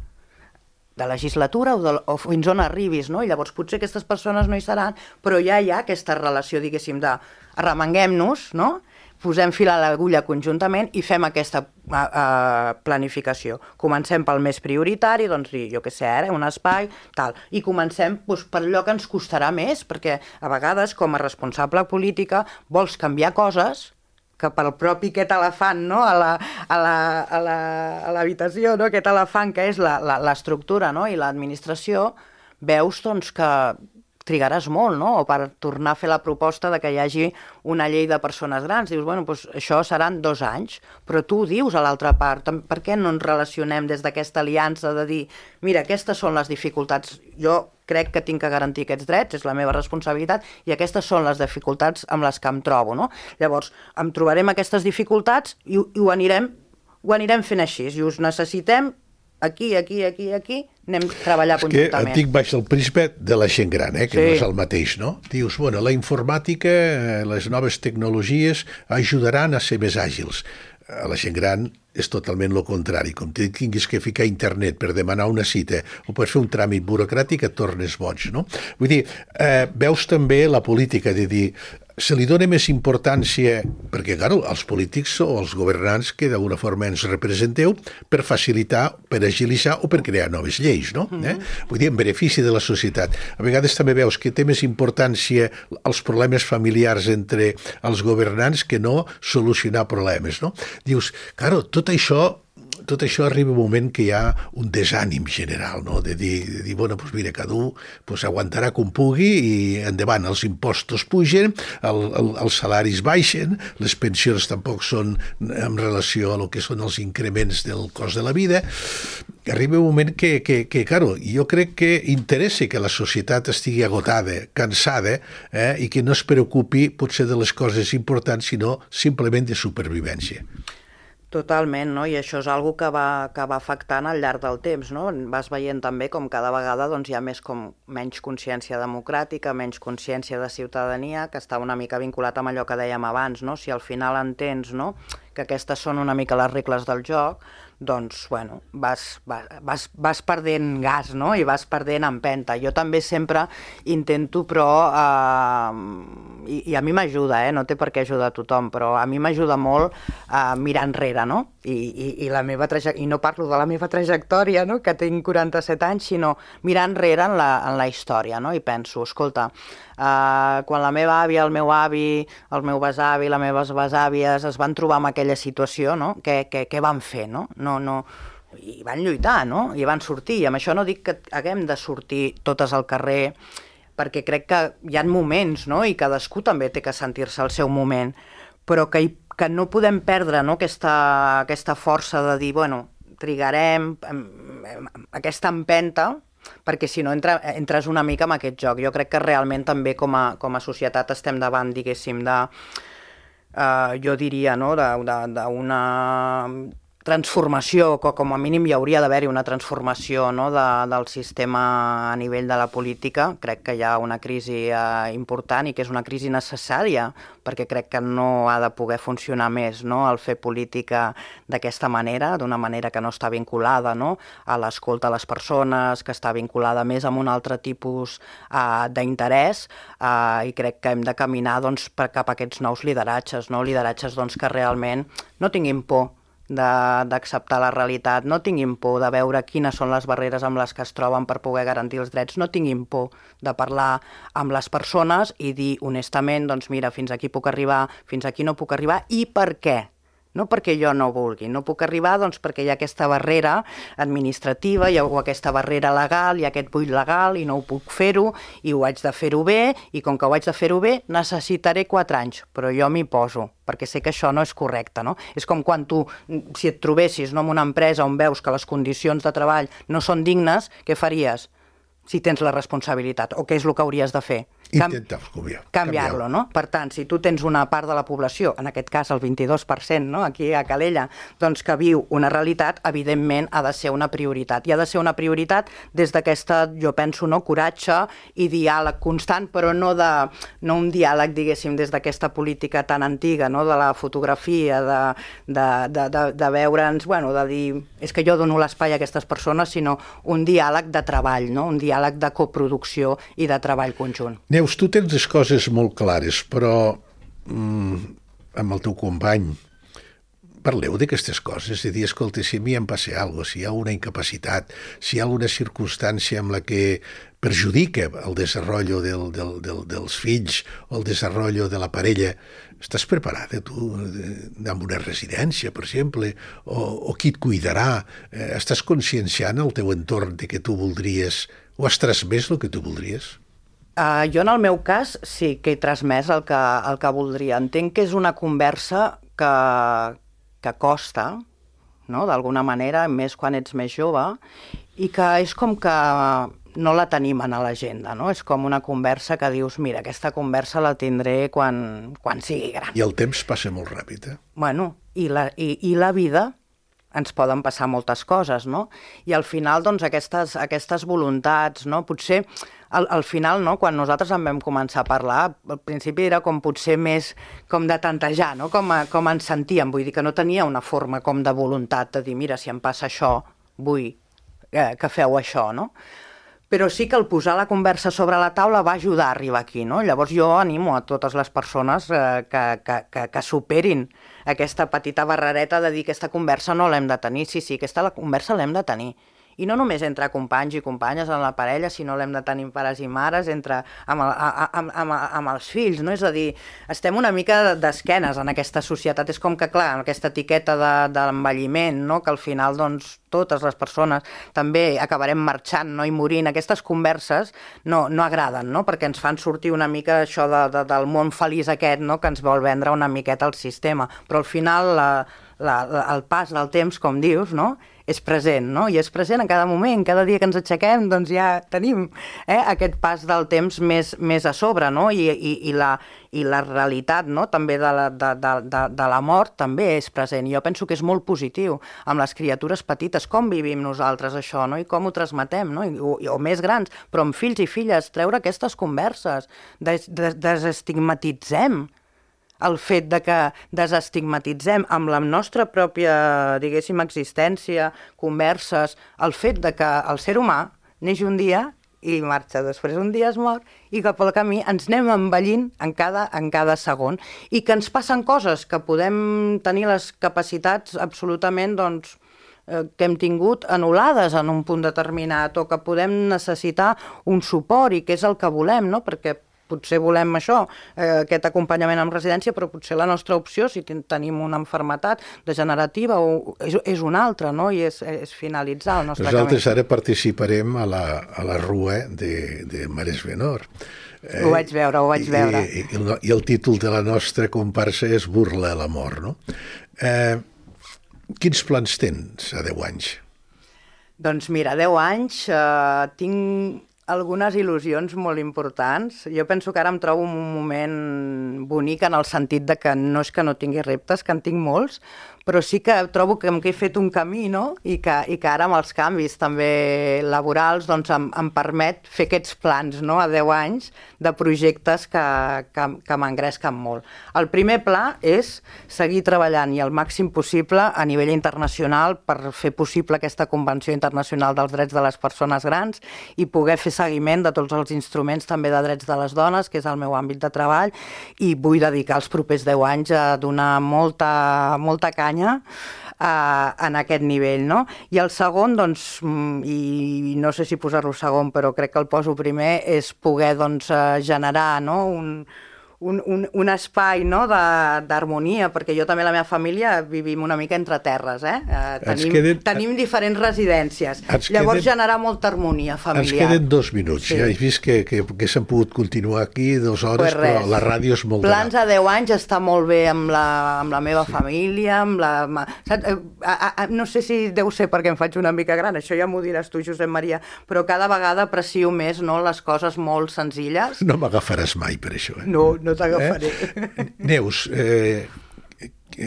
de legislatura o, de, o fins on arribis, no? I llavors potser aquestes persones no hi seran, però ja hi ha aquesta relació, diguéssim, de arremanguem-nos, no?, posem fil a l'agulla conjuntament i fem aquesta uh, uh, planificació. Comencem pel més prioritari, doncs dir, jo què sé, eh, un espai, tal, i comencem doncs, per allò que ens costarà més, perquè a vegades, com a responsable política, vols canviar coses que pel propi aquest elefant, no?, a la, a la, a la, a l'habitació, no?, aquest elefant que és l'estructura, no?, i l'administració, veus doncs, que trigaràs molt, no?, o per tornar a fer la proposta de que hi hagi una llei de persones grans. Dius, bueno, doncs això seran dos anys, però tu ho dius a l'altra part. Per què no ens relacionem des d'aquesta aliança de dir, mira, aquestes són les dificultats, jo crec que tinc que garantir aquests drets, és la meva responsabilitat, i aquestes són les dificultats amb les que em trobo, no? Llavors, em trobarem aquestes dificultats i, i ho, anirem, ho anirem fent així, i us necessitem aquí, aquí, aquí, aquí, anem a treballar és conjuntament. És que et dic baix el prisma de la gent gran, eh, que sí. No és el mateix, no? Dius, bueno, la informàtica, les noves tecnologies ajudaran a ser més àgils. A la gent gran és totalment el contrari. Com que tinguis que ficar a internet per demanar una cita o per fer un tràmit burocràtic et tornes boig, no? Vull dir, eh, veus també la política de dir, se li dona més importància, perquè, clar, els polítics o els governants que d'alguna forma ens representeu per facilitar, per agilitzar o per crear noves lleis, no? Mm-hmm. eh? Vull dir, en benefici de la societat. A vegades també veus que té més importància els problemes familiars entre els governants que no solucionar problemes, no? Dius, clar, tot això tot això arriba un moment que hi ha un desànim general, no? De dir, de dir bueno, doncs mira, cada un pues, aguantarà com pugui i endavant, els impostos pugen, el, el, els salaris baixen, les pensions tampoc són en relació a lo que són els increments del cost de la vida. Arriba un moment que, que, que claro, jo crec que interessa que la societat estigui agotada, cansada, eh, i que no es preocupi potser de les coses importants, sinó simplement de supervivència. Totalment, no? I això és una que va, que va afectant al llarg del temps, no? Vas veient també com cada vegada doncs, hi ha més com menys consciència democràtica, menys consciència de ciutadania, que està una mica vinculat amb allò que dèiem abans, no? Si al final entens, no?, que aquestes són una mica les regles del joc, doncs, bueno, vas, vas, vas perdent gas, no?, i vas perdent empenta. Jo també sempre intento, però, eh, i, i a mi m'ajuda, eh?, no té per què ajudar a tothom, però a mi m'ajuda molt eh, mirar enrere, no?, I, i, i, la meva i no parlo de la meva trajectòria, no?, que tinc quaranta-set anys, sinó mirar enrere en la, en la història, no?, i penso, escolta, eh, quan la meva àvia, el meu avi, el meu besavi, les meves besàvies es van trobar en aquella situació, no?, què, què, què van fer, no?, no, no, i van lluitar, no?, i van sortir, i amb això no dic que haguem de sortir totes al carrer, perquè crec que hi ha moments, no?, i cadascú també té que sentir-se al seu moment, però que, hi, que no podem perdre, no?, aquesta, aquesta força de dir, bueno, trigarem, aquesta empenta, perquè si no entra, entres una mica en aquest joc. Jo crec que realment també com a, com a societat estem davant, diguéssim, de, uh, jo diria, no?, d'una transformació, que com a mínim hi hauria d'haver-hi una transformació, no?, de, del sistema a nivell de la política. Crec que hi ha una crisi eh, important i que és una crisi necessària, perquè crec que no ha de poder funcionar més, no?, el fer política d'aquesta manera, d'una manera que no està vinculada, no?, a l'escolta a les persones, que està vinculada més amb un altre tipus eh, d'interès, eh, i crec que hem de caminar doncs, per, cap a aquests nous lideratges, no?, lideratges doncs, que realment no tinguin por d'acceptar la realitat, no tinguin por de veure quines són les barreres amb les que es troben per poder garantir els drets, no tinguin por de parlar amb les persones i dir honestament, doncs mira, fins aquí puc arribar, fins aquí no puc arribar, i per què? No perquè jo no vulgui, no puc arribar doncs perquè hi ha aquesta barrera administrativa, hi ha aquesta barrera legal, hi ha aquest buit legal i no ho puc fer-ho i ho haig de fer-ho bé, i com que ho haig de fer-ho bé necessitaré quatre anys, però jo m'hi poso, perquè sé que això no és correcte, no? És com quan tu, si et trobessis, no, en una empresa on veus que les condicions de treball no són dignes, què faries? Si tens la responsabilitat, o què és el que hauries de fer? Intentar canviar. Canviar-lo, no? Per tant, si tu tens una part de la població, en aquest cas el vint-i-dos per cent, no?, aquí a Calella, doncs que viu una realitat, evidentment ha de ser una prioritat. I ha de ser una prioritat des d'aquesta, jo penso, no, coratge i diàleg constant, però no, de, no un diàleg, diguéssim, des d'aquesta política tan antiga, no?, de la fotografia, de, de, de, de, de veure'ns, bueno, de dir, és que jo dono l'espai a aquestes persones, sinó un diàleg de treball, no?, un diàleg de coproducció i de treball conjunt. Neus, tu tens les coses molt clares, però mm, amb el teu company parleu d'aquestes coses, de dir, escolta, si a mi em passa alguna cosa, si hi ha una incapacitat, si hi ha alguna circumstància amb la que perjudica el desenvolupament del, del, del, dels fills o el desenvolupament de la parella, estàs preparada tu amb una residència, per exemple, o, o qui et cuidarà? Eh, estàs conscienciant el teu entorn de que tu voldries, o has transmès el que tu voldries? Uh, jo, en el meu cas, sí que he transmès el que, el que voldria. Entenc que és una conversa que, que costa, no?, d'alguna manera, més quan ets més jove, i que és com que no la tenim a l'agenda, no? És com una conversa que dius, mira, aquesta conversa la tindré quan, quan sigui gran. I el temps passa molt ràpid, eh? Bueno, i la, i, i la vida ens poden passar moltes coses, no? I al final, doncs, aquestes, aquestes voluntats, no? Potser, al, al final, no?, quan nosaltres en vam començar a parlar, al principi era com potser més com de tantejar, no?, com, a, com ens sentíem, vull dir que no tenia una forma com de voluntat de dir, mira, si em passa això, vull eh, que feu això, no? Però sí que el posar la conversa sobre la taula va ajudar a arribar aquí, no? Llavors jo animo a totes les persones eh, que, que, que, que superin aquesta petita barrereta de dir que aquesta conversa no l'hem de tenir. Sí, sí, aquesta la conversa l'hem de tenir. i no només entre companys i companyes en la parella, sinó l'hem de tenir pares i mares, entre, amb, el, amb, amb, amb els fills, no? És a dir, estem una mica d'esquenes en aquesta societat, és com que, clar, aquesta etiqueta de, de l'envelliment, no? Que al final, doncs, totes les persones també acabarem marxant, no? I morint. Aquestes converses no, no agraden, no? Perquè ens fan sortir una mica això de, de, del món feliç aquest, no? Que ens vol vendre una miqueta el sistema, però al final la, la, el pas del temps, com dius, no? És present, no? I és present en cada moment, cada dia que ens aixequem, doncs ja tenim eh, aquest pas del temps més, més a sobre, no? I, i, i, la, i la realitat, no? També de la, de, de, de, de la mort també és present. I jo penso que és molt positiu amb les criatures petites, com vivim nosaltres això, no? I com ho transmetem, no? I, o, o més grans, però amb fills i filles, treure aquestes converses, des, des, desestigmatitzem el fet de que desestigmatitzem amb la nostra pròpia, diguéssim, existència, converses, el fet de que el ser humà neix un dia i marxa, després un dia es mor i que pel camí ens anem envellint en cada, en cada segon i que ens passen coses, que podem tenir les capacitats absolutament, doncs, que hem tingut anul·lades en un punt determinat o que podem necessitar un suport i que és el que volem, no? Perquè potser volem això, eh, aquest acompanyament en residència, però potser la nostra opció, si ten tenim una malaltia degenerativa, o, és, és una altra, no? I és, és finalitzar el nostre Nosaltres camí. Ara participarem a la, a la rua de, de Mares Benor. Eh, ho vaig veure, ho vaig veure. I, i, el, I el títol de la nostra comparsa és Burla a la mort, no? Eh, quins plans tens a deu anys? Doncs mira, a deu anys eh, tinc algunes il·lusions molt importants. Jo penso que ara em trobo un moment bonic en el sentit de que no és que no tingui reptes, que en tinc molts, però sí que trobo que he fet un camí, no? I que, i que ara amb els canvis també laborals doncs em, em permet fer aquests plans, no? A deu anys de projectes que, que, que m'engresquen molt. El primer pla és seguir treballant i el màxim possible a nivell internacional per fer possible aquesta Convenció Internacional dels Drets de les Persones Grans i poder fer seguiment de tots els instruments també de drets de les dones, que és el meu àmbit de treball, i vull dedicar els propers deu anys a donar molta, molta canya Uh, en aquest nivell, no? I el segon, doncs, i no sé si posar-lo segon, però crec que el poso primer, és poder, doncs, uh, generar, no?, un, un, un, un espai, no?, d'harmonia, perquè jo també, la meva família, vivim una mica entre terres, eh? Uh, tenim, queden... tenim diferents residències. Ens Llavors, queden... generar molta harmonia familiar. Ens queden dos minuts. Sí. Ja he vist que, que, que s'han pogut continuar aquí dues hores, pues però la ràdio és molt Plans a deu anys està molt bé amb la, amb la meva sí. família, amb la... Saps? A, a, no sé si deu ser perquè em faig una mica gran, això ja m'ho diràs tu, Josep Maria, però cada vegada aprecio més, no?, les coses molt senzilles. No m'agafaràs mai per això, eh? No, no t'agafaré. Eh? Neus, eh,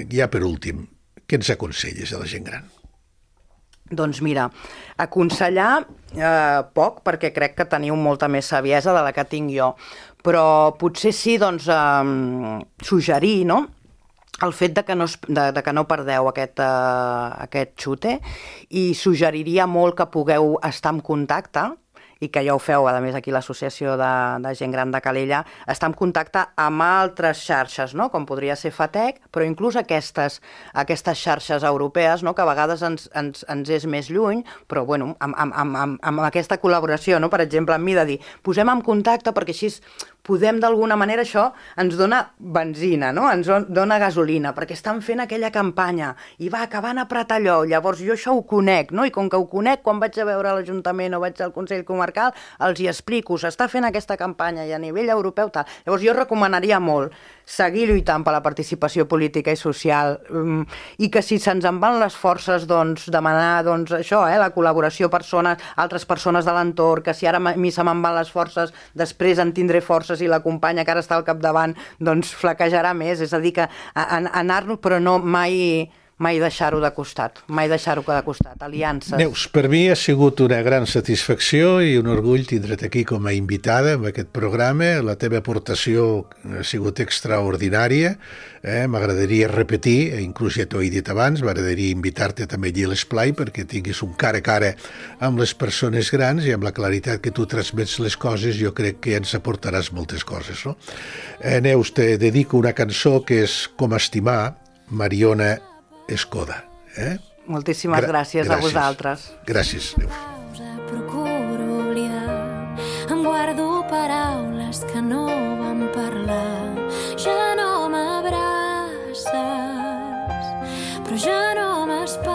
ja per últim, què ens aconselles a la gent gran? Doncs mira, aconsellar eh, poc, perquè crec que teniu molta més saviesa de la que tinc jo, però potser sí, doncs, eh, suggerir, no?, el fet de que no, de, de que no perdeu aquest, uh, aquest xute, i suggeriria molt que pugueu estar en contacte, i que ja ho feu, a més, aquí l'Associació de, de Gent Gran de Calella, està en contacte amb altres xarxes, no?, com podria ser FATEC, però inclús aquestes, aquestes xarxes europees, no?, que a vegades ens, ens, ens és més lluny, però bueno, amb, amb, amb, amb aquesta col·laboració, no?, per exemple, amb mi de dir, posem en contacte perquè així podem d'alguna manera, això ens dona benzina, no?, ens dona gasolina, perquè estan fent aquella campanya i va, que van apretar allò, llavors jo això ho conec, no?, i com que ho conec, quan vaig a veure l'Ajuntament o vaig al Consell Comarcal, els hi explico, s'està fent aquesta campanya i a nivell europeu tal. Llavors jo recomanaria molt seguir lluitant per la participació política i social um, i que si se'ns en van les forces, doncs demanar, doncs això, eh, la col·laboració persones, altres persones de l'entorn, que si ara a mi se me'n van les forces, després en tindré forces i la companya que ara està al capdavant, doncs flaquejarà més, és a dir que anar-nos, però no mai... mai deixar-ho de costat, mai deixar-ho de costat, aliances. Neus, per mi ha sigut una gran satisfacció i un orgull tindre't aquí com a invitada en aquest programa. La teva aportació ha sigut extraordinària, eh? M'agradaria repetir, inclús ja t'ho he dit abans, m'agradaria invitar-te també allí a l'esplai perquè tinguis un cara a cara amb les persones grans i amb la claritat que tu transmets les coses, jo crec que ens aportaràs moltes coses, no? Eh, Neus, te dedico una cançó que és Com estimar, Mariona Escoda. Eh? Moltíssimes Gra gràcies, gràcies a vosaltres. Gràcies. Adéu. Procuro oblidar, em guardo paraules que no vam parlar. Ja no m'abraces, però ja no m'espantes.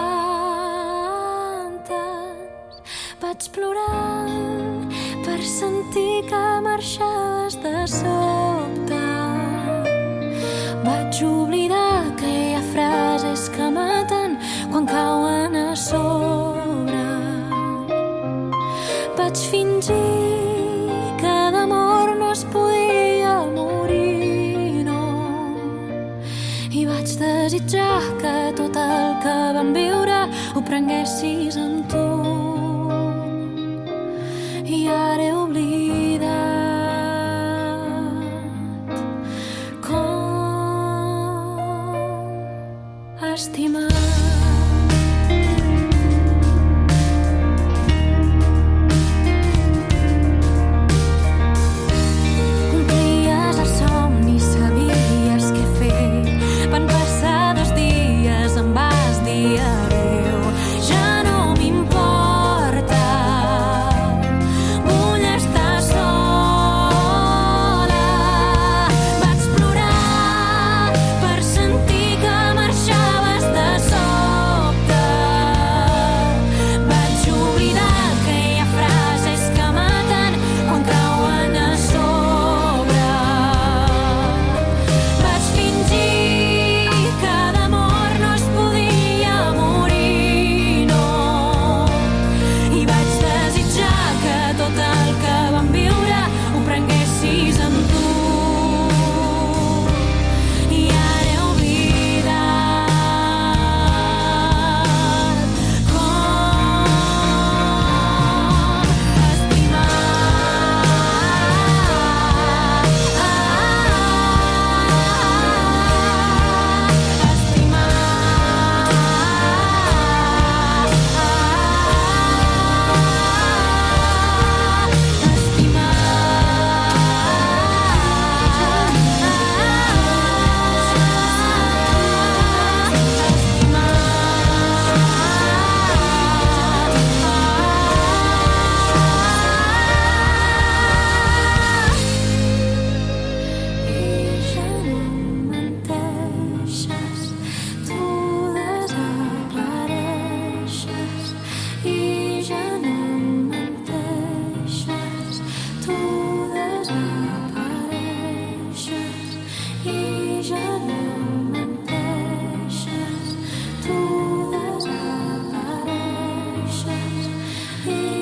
Vaig plorar per sentir que marxaves de sobte. Vaig oblidar que hi ha frases que maten quan cauen a sobre. Vaig fingir que d'amor no es podia morir, no. I vaig desitjar que tot el que vam viure ho prenguessis amb tu. I ara he oblidat com estimar. Tu desapareixes i